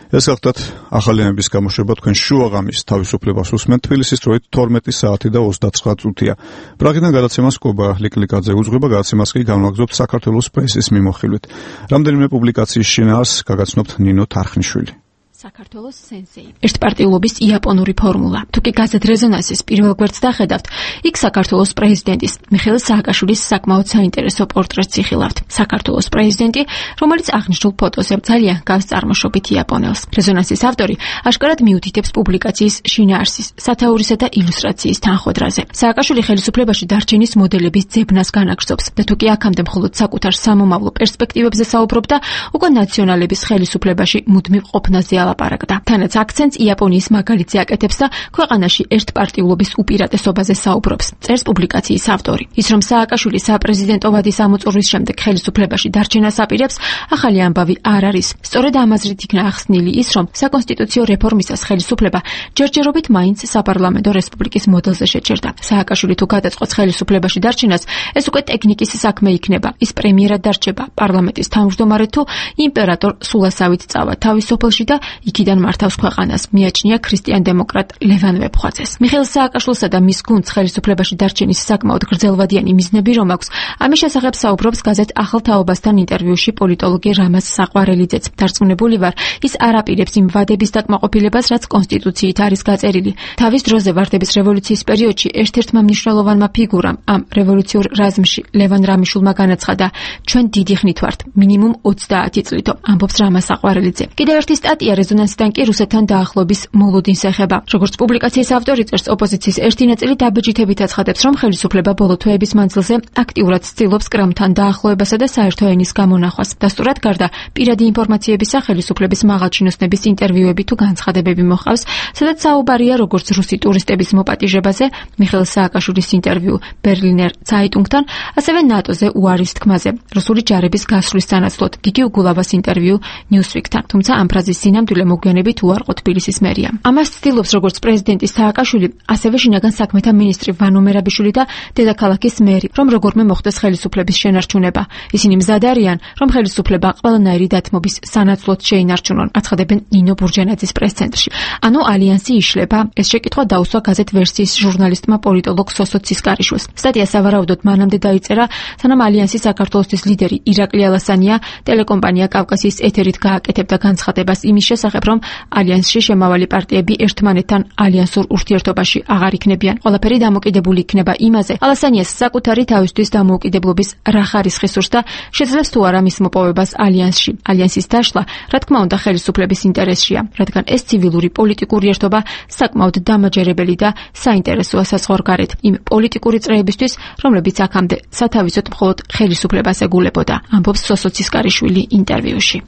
ეს გახლდათ ახალი ამბის გამოშვება, თქვენ შუაღამის თავისუფლებას უსმენთ. თბილისის დროით 12 საათი და 29 წუთია. პრაღიდან გადაცემას კობა ლიკლიკაძე უძღვება, გადაცემას კი განვაგრძობთ საქართველოს პრესის მიმოხილვით. რამდენიმე პუბლიკაციის შინაარს გაგაცნობთ ნინო თარხნიშვილი. საქართველოს სენსეი. ერთპარტიულობის იაპონური ფორმულა. თუ კი გაზეთ რეზონანსის პირველ გვერდს დახედავთ, იქ საქართველოს პრეზიდენტის მიხეილ სააკაშვილის საკმაოდ საინტერესო პორტრეტს იხილავთ. საქართველოს პრეზიდენტი, რომელიც აღნიშნულ ფოტოზე ძალიან გავს წარმოშობით იაპონელს. რეზონანსის ავტორი აშკარად მიუთითებს პუბლიკაციის შინაარსის, სათაურისა და ილუსტრაციის თანხმდრაზე. სააკაშვილი ხელისუფლებაში დარჩენის მოდელების ძებნას განაგრძობს და თუ კი აქამდე მხოლოდ საკუთარ სამომავლო პერსპექტივებზე საუბრობდა, უკვე ნაციონალების ხელისუფლებაში მუდმივ ყოფნაზე ალაპარაკდა. თანაც აქცენტს იაპონიის მაგალითზე აკეთებს და ქვეყანაში ერთპარტიულობის უპირატესობაზე საუბრობს. წერს პუბლიკაციის ავტორი. ის რომ სააკაშვილი საპრეზიდენტო ვადის ამოწურვის შემდეგ ხელისუფლებაში დარჩენას აპირებს, ახალი ამბავი არ არის. სწორედ ამ აზრით იქნა ახსნილი ის, რომ საკონსტიტუციო რეფორმისას ხელისუფლება ჯერჯერობით მაინც საპარლამენტო რესპუბლიკის მოდელზე შეჭერდა. სააკაშვილი თუ გადაწყვეტს ხელისუფლებაში დარჩენას, ეს უკვე ტექნიკის საქმე იქნება. ის პრემიერად დარჩება, პარლამენტის თავმჯდომარედ თუ იმპერატორ სულასავით წავა თავის სოფელში და იქიდან მართავს ქვეყანას. მიაჩნია ქრისტიან-დემოკრატ ლევან ვეფხვაძეს. მიხეილ სააკაშვილსა და მის გუნდს ხელისუფლებაში დარჩენის საკმაოდ გრძელვადიანი მიზნები რომ აქვს, ამის შესახებ საუბრობს გაზეთ ახალ თაობასთან ინტერვიუში პოლიტოლოგი რამაზ საყვარელიძეც. დარწმუნებული ვარ, ის არ აპირებს იმ ვადების დაკმაყოფილებას, რაც კონსტიტუციით არის გაწერილი. თავის დროზე ვარდების რევოლუციის პერიოდში ერთ-ერთმა მნიშვნელოვანმა ფიგურამ ამ რევოლუციურ რაზმში ლევან რამიშულმა განაცხადა: ჩვენ დიდი ხნით ვართ, მინიმუმ 30 წლითო, ამბობს რამაზ საყვარელიძე. კიდევ ერთი სტატია რეზონანსიდან კი რუსეთთან დაახლოების მოლოდინს ეხება. როგორც პუბლიკაციის ავტორი წერს, ოპოზიციის ერთი ნაწილი დაბეჭდებით აცხადებს, რომ ხელისუფლება ბოლო თვეების მანძილზე აქტიურად ცდილობს კრემლთან დაახლოებასა და საერთო ენის გამონახვას. დასტურად გარდა პირადი ინფორმაციებისა, ხელისუფლების მაღალჩინოსნების ინტერვიუები თუ განცხადებები მოჰყავს, სადაც საუბარია როგორც რუსი ტურისტების მოპატიჟებაზე, მიხეილ სააკაშვილის ინტერვიუ ბერლინერ ცაიტუნგთან, ასევე ნატოზე უარის თქმაზე, რუსული ჯარების გასვლის სანაცვლოდ გიგი უგულავას ინტერვიუ ნიუსვიკთან. თუმცა ამ ფრაზის სინამდვილე მოგვიანებით უარყო თბილისის მერიამ. ამას ცდილობს როგორც პრეზიდენტი სააკაშვილი, ასევე შინაგან საქმეთა მინისტრი ვანო მერაბიშვილი და დედაქალაქის მერი, რომ როგორმე მოხდეს ხელისუფლების შენარჩუნება. ისინი მზად არიან, რომ ხელისუფლება ყველანაირი დათმობის სანაცვლოდ შეინარჩუნონ, აცხადებენ ნინო ბურჯანაძის პრეს-ცენტრში. ანუ ალიანსი იშლება. ეს შეკითხვა დაუსვა გაზეთ ვერსიის ჟურნალისტმა პოლიტოლოგ სოსო ცისკარიშვილს. სტატია სავარაუდოდ მანამდე დაიწერა, სანამ ალიანსის საქართველოსთვის ლიდერი ირაკლი ალასანია ტელეკომპანია კავკასიის ეთერით გააკეთებდა განცხადებას იმის შესახებ, რომ ალიანსში შემავალი პარტიები ერთმანეთთან ალიანსურ ურთიერთობაში აღარ იქნებიან. ყველაფერი დამოკიდებული იქნება იმაზე, ალასანიას საკუთარი თავისთვის დამოუკიდებლობის რა ხარისხი სურს და შეძლებს თუ არა მის მოპოვებას ალიანსში. ალიანსის დაშლა, რა თქმა უნდა, ხელისუფლების ინტერესშია, რადგან ეს ცივილური პოლიტიკური ერთობა საკმაოდ დამაჯერებელი და საინტერესოა საზღვარგარეთ იმ პოლიტიკური წრეებისთვის, რომლებიც აქამდე სათავისოდ მხოლოდ ხელისუფლებას ეგულებოდა, ამბობს სოსო ცისკარიშვილი ინტერვიუში.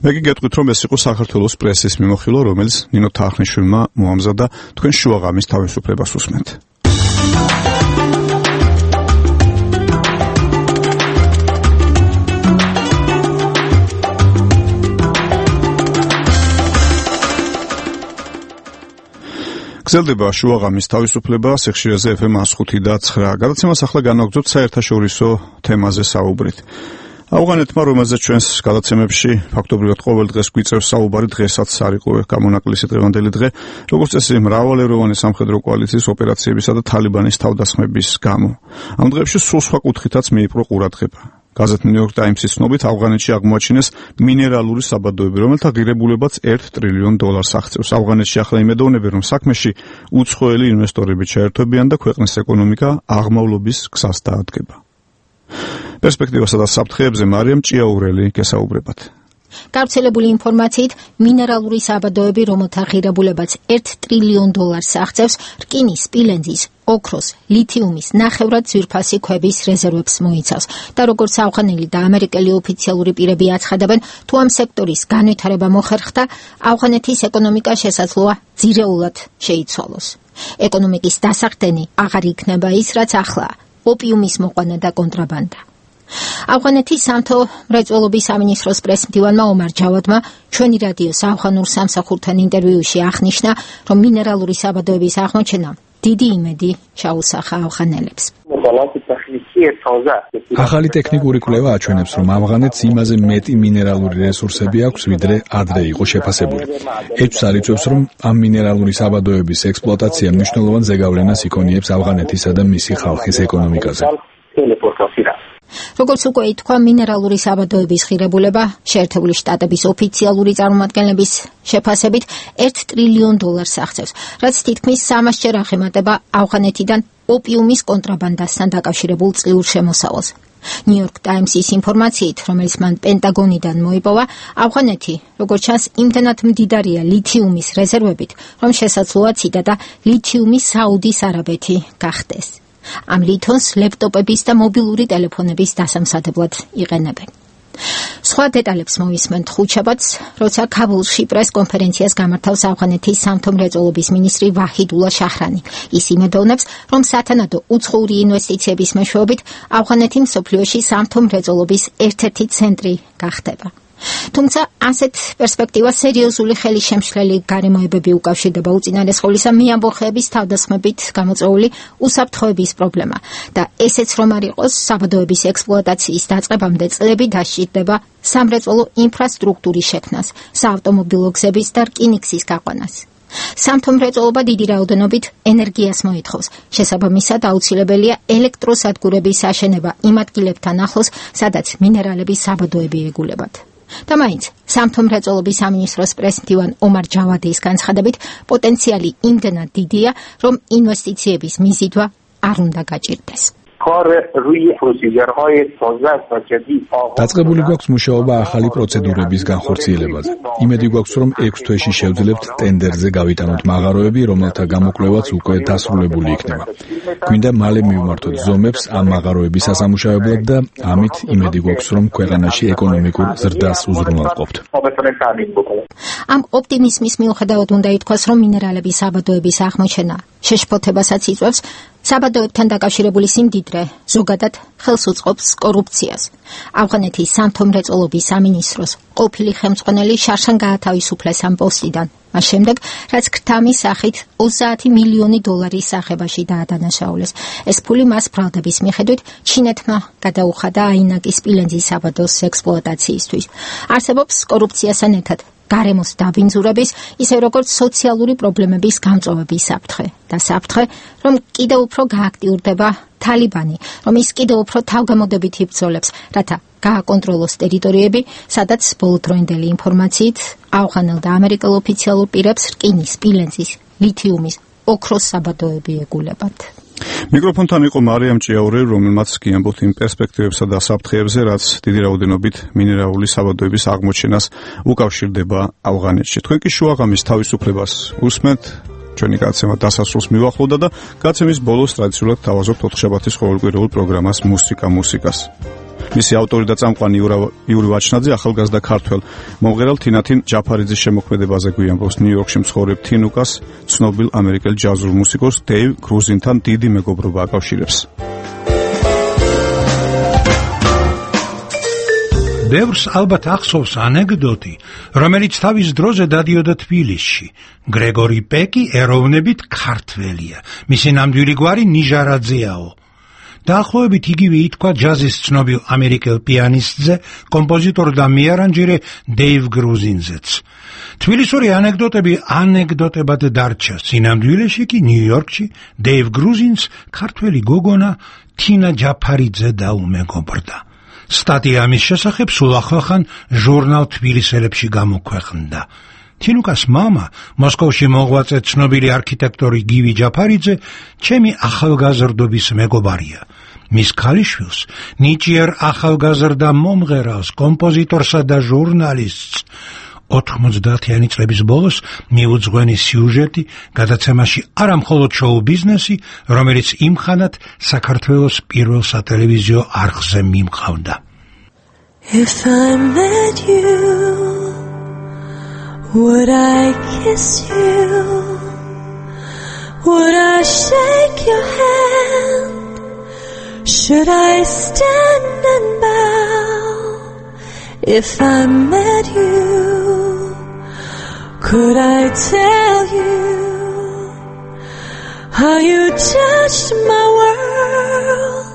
მე გიგეთქვით, რომ ეს იყო საქართველოს პრესის მიმოხილვა, რომელიც ნინო თახნიშვილმა მოამზადა. თქვენ შუაღამის თავისუფლებას უსმენთ. გრძელდება შუაღამის თავისუფლება, სიხშირეზე FM 105 და 9. გადაცემას ახლა განაგრძობთ საერთაშორისო თემაზე საუბრით. ავღანეთმა, რომელზეც ჩვენს გადაცემებში ფაქტობრივად ყოველ დღეს გვიწევს საუბარი, დღესაც არ იყო გამონაკლისი დღევანდელი დღე, როგორც წესი მრავალეროვანი სამხედრო კოალიციის ოპერაციებისა და თალიბანის თავდასხმების გამო. ამ დღეებში სულ სხვა კუთხითაც მიიპყრო ყურადღება. გაზეთ New York Times-ის ცნობით ავღანეთში აღმოაჩინეს მინერალური საბადოები, რომელთა ღირებულებაც $1 ტრილიონ აღწევს. ავღანეთში ახლა იმედოვნები, რომ საქმეში უცხოელი ინვესტორები ჩაერთვებიან და ქვეყნის ეკონომიკა აღმავლობის გზას დაადგება. პერსპექტივასა და საფრთხეებზე მარიამ ჭიაურელი გესაუბრებათ. გავრცელებული ინფორმაციით, მინერალური საბადოები, რომელთა ღირებულებაც $1 ტრილიონ აღწევს, რკინის, სპილენძის, ოქროს, ლითიუმის, ნახევრად ძვირფასი ქვების რეზერვებს მოიცავს და როგორც ავღანელი და ამერიკელი ოფიციალური პირები აცხადებენ, თუ ამ სექტორის განვითარება მოხერხდა, ავღანეთის ეკონომიკა შესაძლოა ძირეულად შეიცვალოს. ეკონომიკის დასახდენი აღარ იქნება ის, რაც ახლაა, ოპიუმის მოყვანა და კონტრაბანდა. ავღანეთის სამთო მრეწველობის სამინისტროს პრესმდივანმა ომარ ჯავადმა ჩვენი რადიოს ავღანურ სამსახურთან ინტერვიუში აღნიშნა, რომ მინერალური საბადოების აღმოჩენა დიდი იმედი ჩაუსახა ავღანელებს. ახალი ტექნიკური კვლევა აჩვენებს, რომ ავღანეთს იმაზე მეტი მინერალური რესურსები აქვს, ვიდრე ადრე იყო შეფასებული. ეჭვს არ იწვევს, რომ ამ მინერალური საბადოების ექსპლუატაცია მნიშვნელოვან ზეგავლენას იქონიებს ავღანეთისა და მისი ხალხის ეკონომიკაზე. როგორც უკვე ითქვა, მინერალური საბადოების ღირებულება შეერთებული შტატების ოფიციალური წარმომადგენლების შეფასებით $1 ტრილიონ აღწევს, რაც თითქმის 300-ჯერ აღემატება ავღანეთიდან ოპიუმის კონტრაბანდასთან დაკავშირებულ წლიურ შემოსავალს. New York Times-ის ინფორმაციით, რომელიც მან პენტაგონიდან მოიპოვა, ავღანეთი, როგორც ჩანს, იმდენად მდიდარია ლითიუმის რეზერვებით, რომ შესაძლოა ციტატა ლითიუმის საუდის არაბეთი გახდეს. ამ ლითონს ლეპტოპების და მობილური ტელეფონების დასამზადებლად იყენებენ. სხვა დეტალებს მოვისმენთ ხუთშაბათს, როცა ქაბულში პრეს-კონფერენციას გამართავს ავღანეთის სამთო-მრეწველობის მინისტრი ვაჰიდულა შაჰრანი. ის იმედოვნებს, რომ სათანადო უცხოური ინვესტიციების მეშვეობით ავღანეთი მსოფლიოში სამთო-მრეწველობის ერთ-ერთი ცენტრი გახდება. თუმცა ასეთ პერსპექტივას სერიოზული ხელისშემშლელი გარემოებები უკავშირდება, უწინარესყოლისა მეამბოხეების თავდასხმებით გამოწვეული უსაფრთხოების პრობლემა და ესეც რომ არ იყოს, საბადოების ექსპლუატაციის დაწყებამდე წლები დასჭირდება სამრეწველო ინფრასტრუქტურის შექმნას, საავტომობილო გზების და რკინიგზის გაყვანას. სამთო-მრეწველობა დიდი რაოდენობით ენერგიას მოითხოვს. შესაბამისად, აუცილებელია ელექტროსადგურების აშენება იმ ადგილებთან ახლოს, სადაც მინერალების საბადოები ეგულებათ. და მაინც სამთო-მრეწველობის სამინისტროს პრეზიდენტ ომარ ჯავადის განცხადებით, პოტენციალი იმდენად დიდია, რომ ინვესტიციების მიზიდვა არ უნდა გაჭირდეს. დაწყებული გვაქვს მუშაობა ახალი პროცედურების განხორციელებაზე. იმედი გვაქვს, რომ 6 თვეში შევძლებთ ტენდერზე გავიტანოთ მაღაროები, რომელთა გამოკვლევაც უკვე დასრულებული იქნება. გვინდა მალე მივმართოთ ზომებს ამ მაღაროების სასამუშავებლად და ამით იმედი გვაქვს, რომ ქვეყანაში ეკონომიკურ ზრდას უზრუნველყოფთ. ამ ოპტიმიზმის მიუხედავად უნდა ითქვას, რომ მინერალების საბადოების აღმოჩენა შეშფოთებასაც იწვევს. საბადოებთან დაკავშირებული სიმდიდრე ზოგადად ხელს უწყობს კორუფციას. ავღანეთის სამთო-მრეწველობის სამინისტროს ყოფილი ხელმძღვანელი შარშან გაათავისუფლეს ამ პოსტიდან, მას შემდეგ, რაც ქრთამის სახით 30 მილიონი დოლარის სახებაში დაადანაშაულეს. ეს ფული მას ბრალდების მიხედვით ჩინეთმა გადაუხადა აინაკის სპილენძის საბადოს ექსპლუატაციისთვის. არსებობს კორუფციასთან ერთად გარემოს დაბინძურების, ისე როგორც სოციალური პრობლემების გამწვავების საფრთხე და საფრთხე, რომ კიდევ უფრო გააქტიურდება თალიბანი, რომ ის კიდევ უფრო თავგამოდებით იბრძოლებს, რათა გააკონტროლოს ტერიტორიები, სადაც ბოლოდროინდელი ინფორმაციით ავღანელ და ამერიკელ ოფიციალურ პირებს რკინის, სპილენძის, ლითიუმის, ოქროს საბადოები ეგულებათ. მიკროფონთან იყო მარიამ ჭიაური, რომელმაც გიამბობთ იმ პერსპექტივებსა და საფრთხეებზე, რაც დიდი რაოდენობით მინერალური საბადოების აღმოჩენას უკავშირდება ავღანეთში. თქვენ კი შუაღამის თავისუფლებას უსმენთ. ჩვენი გადაცემა დასასრულს მივახლოვდა და გადაცემის ბოლოს ტრადიციულად თავაზობთ ოთხშაბათის ყოველკვირეულ პროგრამას მუსიკას. მისი ავტორი და წამყვანი იური ვაჩნაძე ახალგაზრდა ქართველ მომღერალ თინათინ ჯაფარიძის შემოქმედებაზე გვიამბობს. ნიუ-იორკში მცხოვრებ თინუკას ცნობილ ამერიკელ ჯაზურ მუსიკოს დეივ გრუზინთან დიდი მეგობრობა აკავშირებს. ბევრს ალბათ ახსოვს ანეკდოტი, რომელიც თავის დროზე დადიოდა თბილისში. გრეგორი პეკი ეროვნებით ქართველია. მისი ნამდვილი გვარი ნიჟარაძეაო. დაახლოებით იგივე ითქვა ჯაზის ცნობილ ამერიკელ პიანისტზე, კომპოზიტორ და მეარანჟირე დეივ გრუზინზეც. თბილისური ანეკდოტები ანეკდოტებად დარჩა. სინამდვილეში კი ნიუ-იორკში დეივ გრუზინს ქართველი გოგონა თინა ჯაფარიძე დაუმეგობრდა. სტატია ამის შესახებ სულ ახლახან ჟურნალ თბილისელებში გამოქვეყნდა. თინუკას მამა, მოსკოვში მოღვაწე ცნობილი არქიტექტორი გივი ჯაფარიძე, ჩემი ახალგაზრდობის მეგობარია. მის ქალიშვილს, ნიჭიერ ახალგაზრდა მომღერალს, კომპოზიტორსა და ჟურნალისტს 90-იანი წლების ბოლოს მიუძღვენი სიუჟეტი გადაცემაში არა მხოლოდ შოუ ბიზნესი, რომელიც იმხანად საქართველოს პირველ სატელევიზიო არხზე მიმყავდა. If I met you, would I kiss you? Would I shake your hand? Should I stand and bow? If I met you, could I tell you how you touched my world,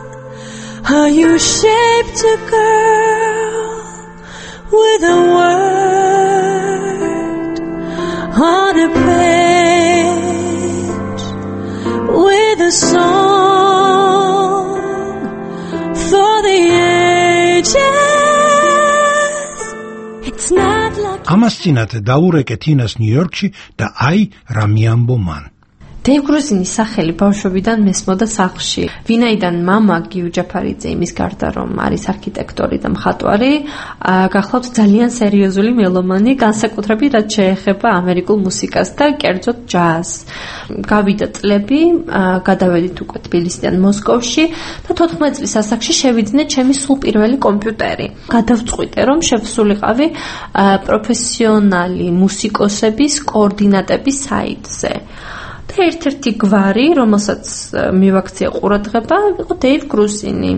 how you shaped a girl with a word on a page, with a song for the ages. It's not like ამას წინათ დაურეკე თინას ნიუ-იორკში და აი რა მიამბო მან. დეივ გრუზინის სახელი ბავშვობიდან მესმოდა სახლში. ვინაიდან მამა გიუ ჯაფარიძე იმის გარდა რომ არის არქიტექტორი და მხატვარი, გახლავთ ძალიან სერიოზული მელომანი, განსაკუთრებით რაც შეეხება ამერიკულ მუსიკას და კერძოდ ჯაზს. გავიდა წლები, გადავედით უკვე თბილისიდან მოსკოვში და 14 წლის ასაკში შევიძინე ჩემი სულ პირველი კომპიუტერი. გადავწყვიტე რომ შევსულიყავი პროფესიონალი მუსიკოსების კოორდინატების საიტზე. და ერთ-ერთი გვარი, რომელსაც მივაქცია ყურადღება, იყო დეივ გრუზინი.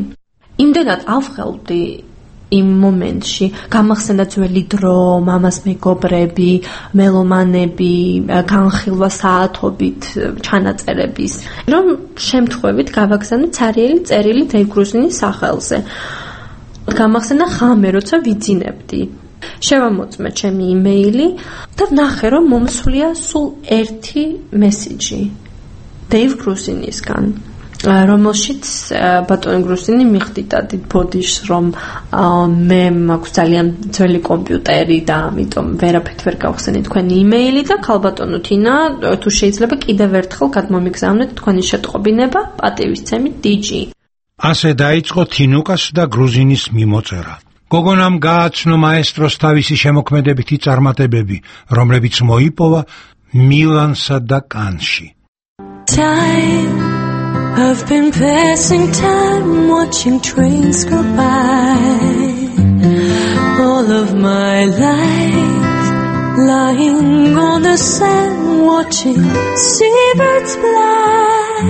იმდენად ავღელვდი იმ მომენტში, გამახსენდა ძველი დრო, მამას მეგობრები, მელომანები, განხილვა საათობით ჩანაწერების, რომ შემთხვევით გავაგზავნე ცარიელი წერილი დეივ გრუზინის სახელზე. გამახსენდა ხამე, როცა ვიძინებდი. შევამოწმე ჩემი იმეილი და ვნახე რომ მომსვლია სულ ერთი მესიჯი დეივ გრუზინისგან, რომელშიც ბატონი გრუზინი მიხვდიდა დიდ ბოდიშს რომ მე მაქვს ძალიან ძველი კომპიუტერი და ამიტომ ვერაფერთ ვერ გავხსენე თქვენი იმეილი და ქალბატონო თინა თუ შეიძლება კიდევ ერთხელ გადმომიგზავნეთ თქვენი შეტყობინება, პატივისცემით დიჯი. ასე დაიწყო თინუკას და გრუზინის მიმოწერა. გოგონამ გააცნო მაესტროს თავისი შემოქმედებითი წარმატებები, რომლებიც მოიპოვა მილანსა და კანში. I've been passing time watching trains go by, all of my life lying on the sand watching seabirds fly,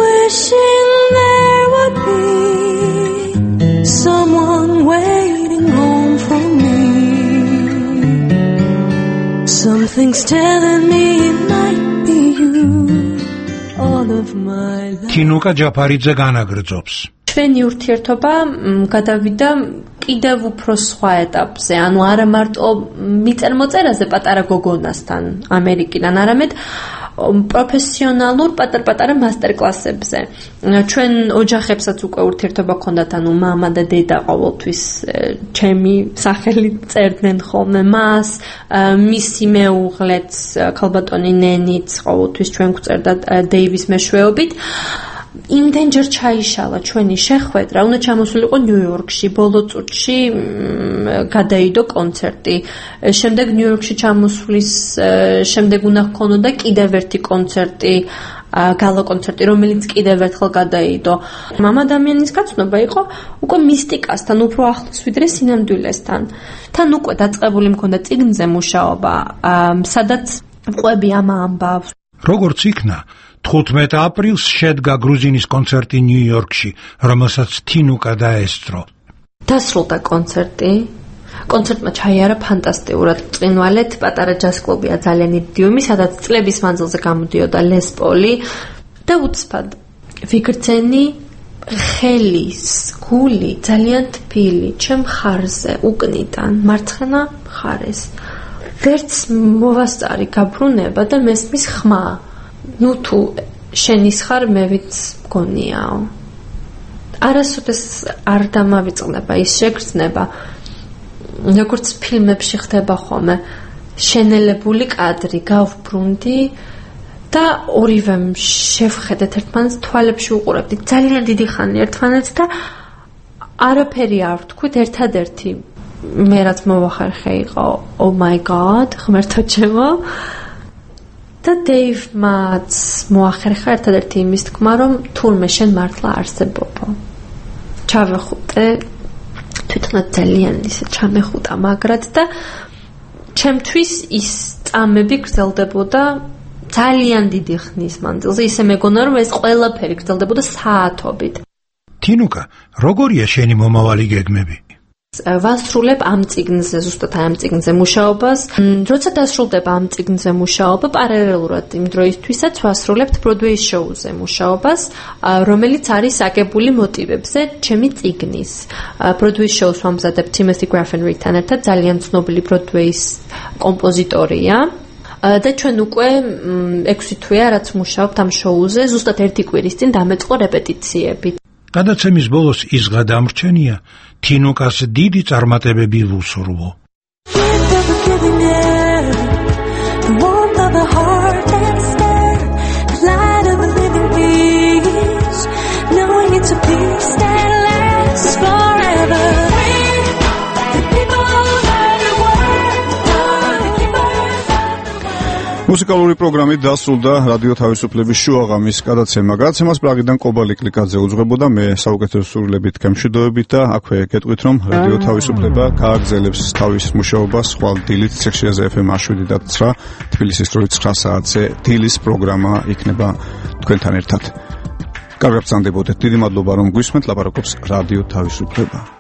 wishing there would be someone waiting home for me. Something's telling me it might be you. All of my life. თინუკა ჯაფარიძე განაგრძობს. ჩვენი ურთიერთობა გადავიდა კიდევ უფრო სხვა ეტაპზე, ანუ არა მარტო მიწერ-მოწერაზე პატარა გოგონასთან ამერიკიდან, არამედ პროფესიონალურ პატარ-პატარა მასტერკლასებზე. ჩვენ ოჯახებსაც უკვე ურთიერთობა ჰქონდათ, ანუ მამა და დედა ყოველთვის ჩემი სახელით წერდნენ ხოლმე მას, მისი მეუღლეც ქალბატონი ნენიც ყოველთვის ჩვენ გვწერდა დეივის მეშვეობით. იმდენჯერ ჩაიშალა ჩვენი შეხვედრა, უნდა ჩამოსულიყო ნიუ-იორკში, ბოლო წუთში გადაიდო კონცერტი. შემდეგ ნიუ-იორკში ჩამოსვლის შემდეგ უნდა ჰქონოდა კიდევ ერთი კონცერტი, გალა კონცერტი, რომელიც კიდევ ერთხელ გადაიდო. მამ ადამიანის გაცნობა იყო უკვე მისტიკასთან უფრო ახლოს ვიდრე სინამდვილესთან. თან უკვე დაწყებული მქონდა წიგნზე მუშაობა, სადაც ყვები ამ ამბავს. როგორც იქნა 15 აპრილს შედგა გრუზინის კონცერტი ნიუ-იორკში, რომელსაც თინუკა დაესწრო. დასრულდა კონცერტი. კონცერტმა ჩაიარა ფანტასტიკურად. წინვალეთ პატარა ჯაზ კლუბია ძალიან იდიომი, სადაც წლების მანძილზე გამოდიოდა ლეს პოლი და უცბად ვიგრძენი ხელის გული ძალიან თბილი ჩემ ხარზე უკნიდან მარცხენა მხარეს. ვერც მოვასწარი გაბრუნება და მესმის ხმა. ნუ თუ შენის ხარ მე ვიც მგონიაო. არასოდეს არ დამავიწყდება ის შეგრძნება, როგორც ფილმებში ხდება ხოლმე, შენელებული კადრი, გავბრუნდი და ორივე შევხედეთ ერთმანეთს, თვალებში უყურებდით ძალიან დიდი ხანი ერთმანეთს და არაფერი არ ვთქვით, ერთადერთი მე რაც მოვახერხე იყო oh my god, ღმერთო ჩემო. და დეივმაც მოახერხა ერთადერთი იმის თქმა, რომ თურმე შენ მართლა არსებობო. ჩავეხუტე, თვითონაც ძალიან ისე ჩამეხუტა მაგრად და ჩემთვის ის წამები გრძელდებოდა ძალიან დიდი ხნის მანძილზე, ისე მეგონა რომ ეს ყველაფერი გრძელდებოდა საათობით. თინუკა, როგორია შენი მომავალი გეგმები? ვასრულებ ამ წიგნზე, ზუსტად ამ წიგნზე მუშაობას. როცა დასრულდება ამ წიგნზე მუშაობა, პარალელურად იმ დროისთვისაც ვასრულებთ ბროდვეის შოუზე მუშაობას, რომელიც არის აგებული მოტივებზე ჩემი წიგნის. ბროდვეის შოუს ვამზადებ Timothy Grafenriedთან ერთად, ძალიან ცნობილი ბროდვეის კომპოზიტორია. და ჩვენ უკვე 6 თვეა რაც მუშაობთ ამ შოუზე, ზუსტად 1 კვირის წინ დამეწყო რეპეტიციები. გადაცემის ბოლოს ის გადამრჩენია, თინუკას დიდი წარმატებები ვუსურვო. მუსიკალური პროგრამით დასრულდა რადიო თავისუფლების შუაღამის გადაცემა. გადაცემას პრაღიდან კობალი კლიკაძე უძღვებოდა, მე საუკეთესო სურვილებით გემშვიდობებით და აქვე გეტყვით, რომ რადიო თავისუფლება გააგრძელებს თავის მუშაობას ხვალ დილით სექციაზე FM 7.9 თბილისის დროით 9 საათზე დილის პროგრამა იქნება თქვენთან ერთად. კარგად ბრძანდებოდეთ. დიდი მადლობა რომ გვისმენთ, ლაპარაკობს რადიო თავისუფლება.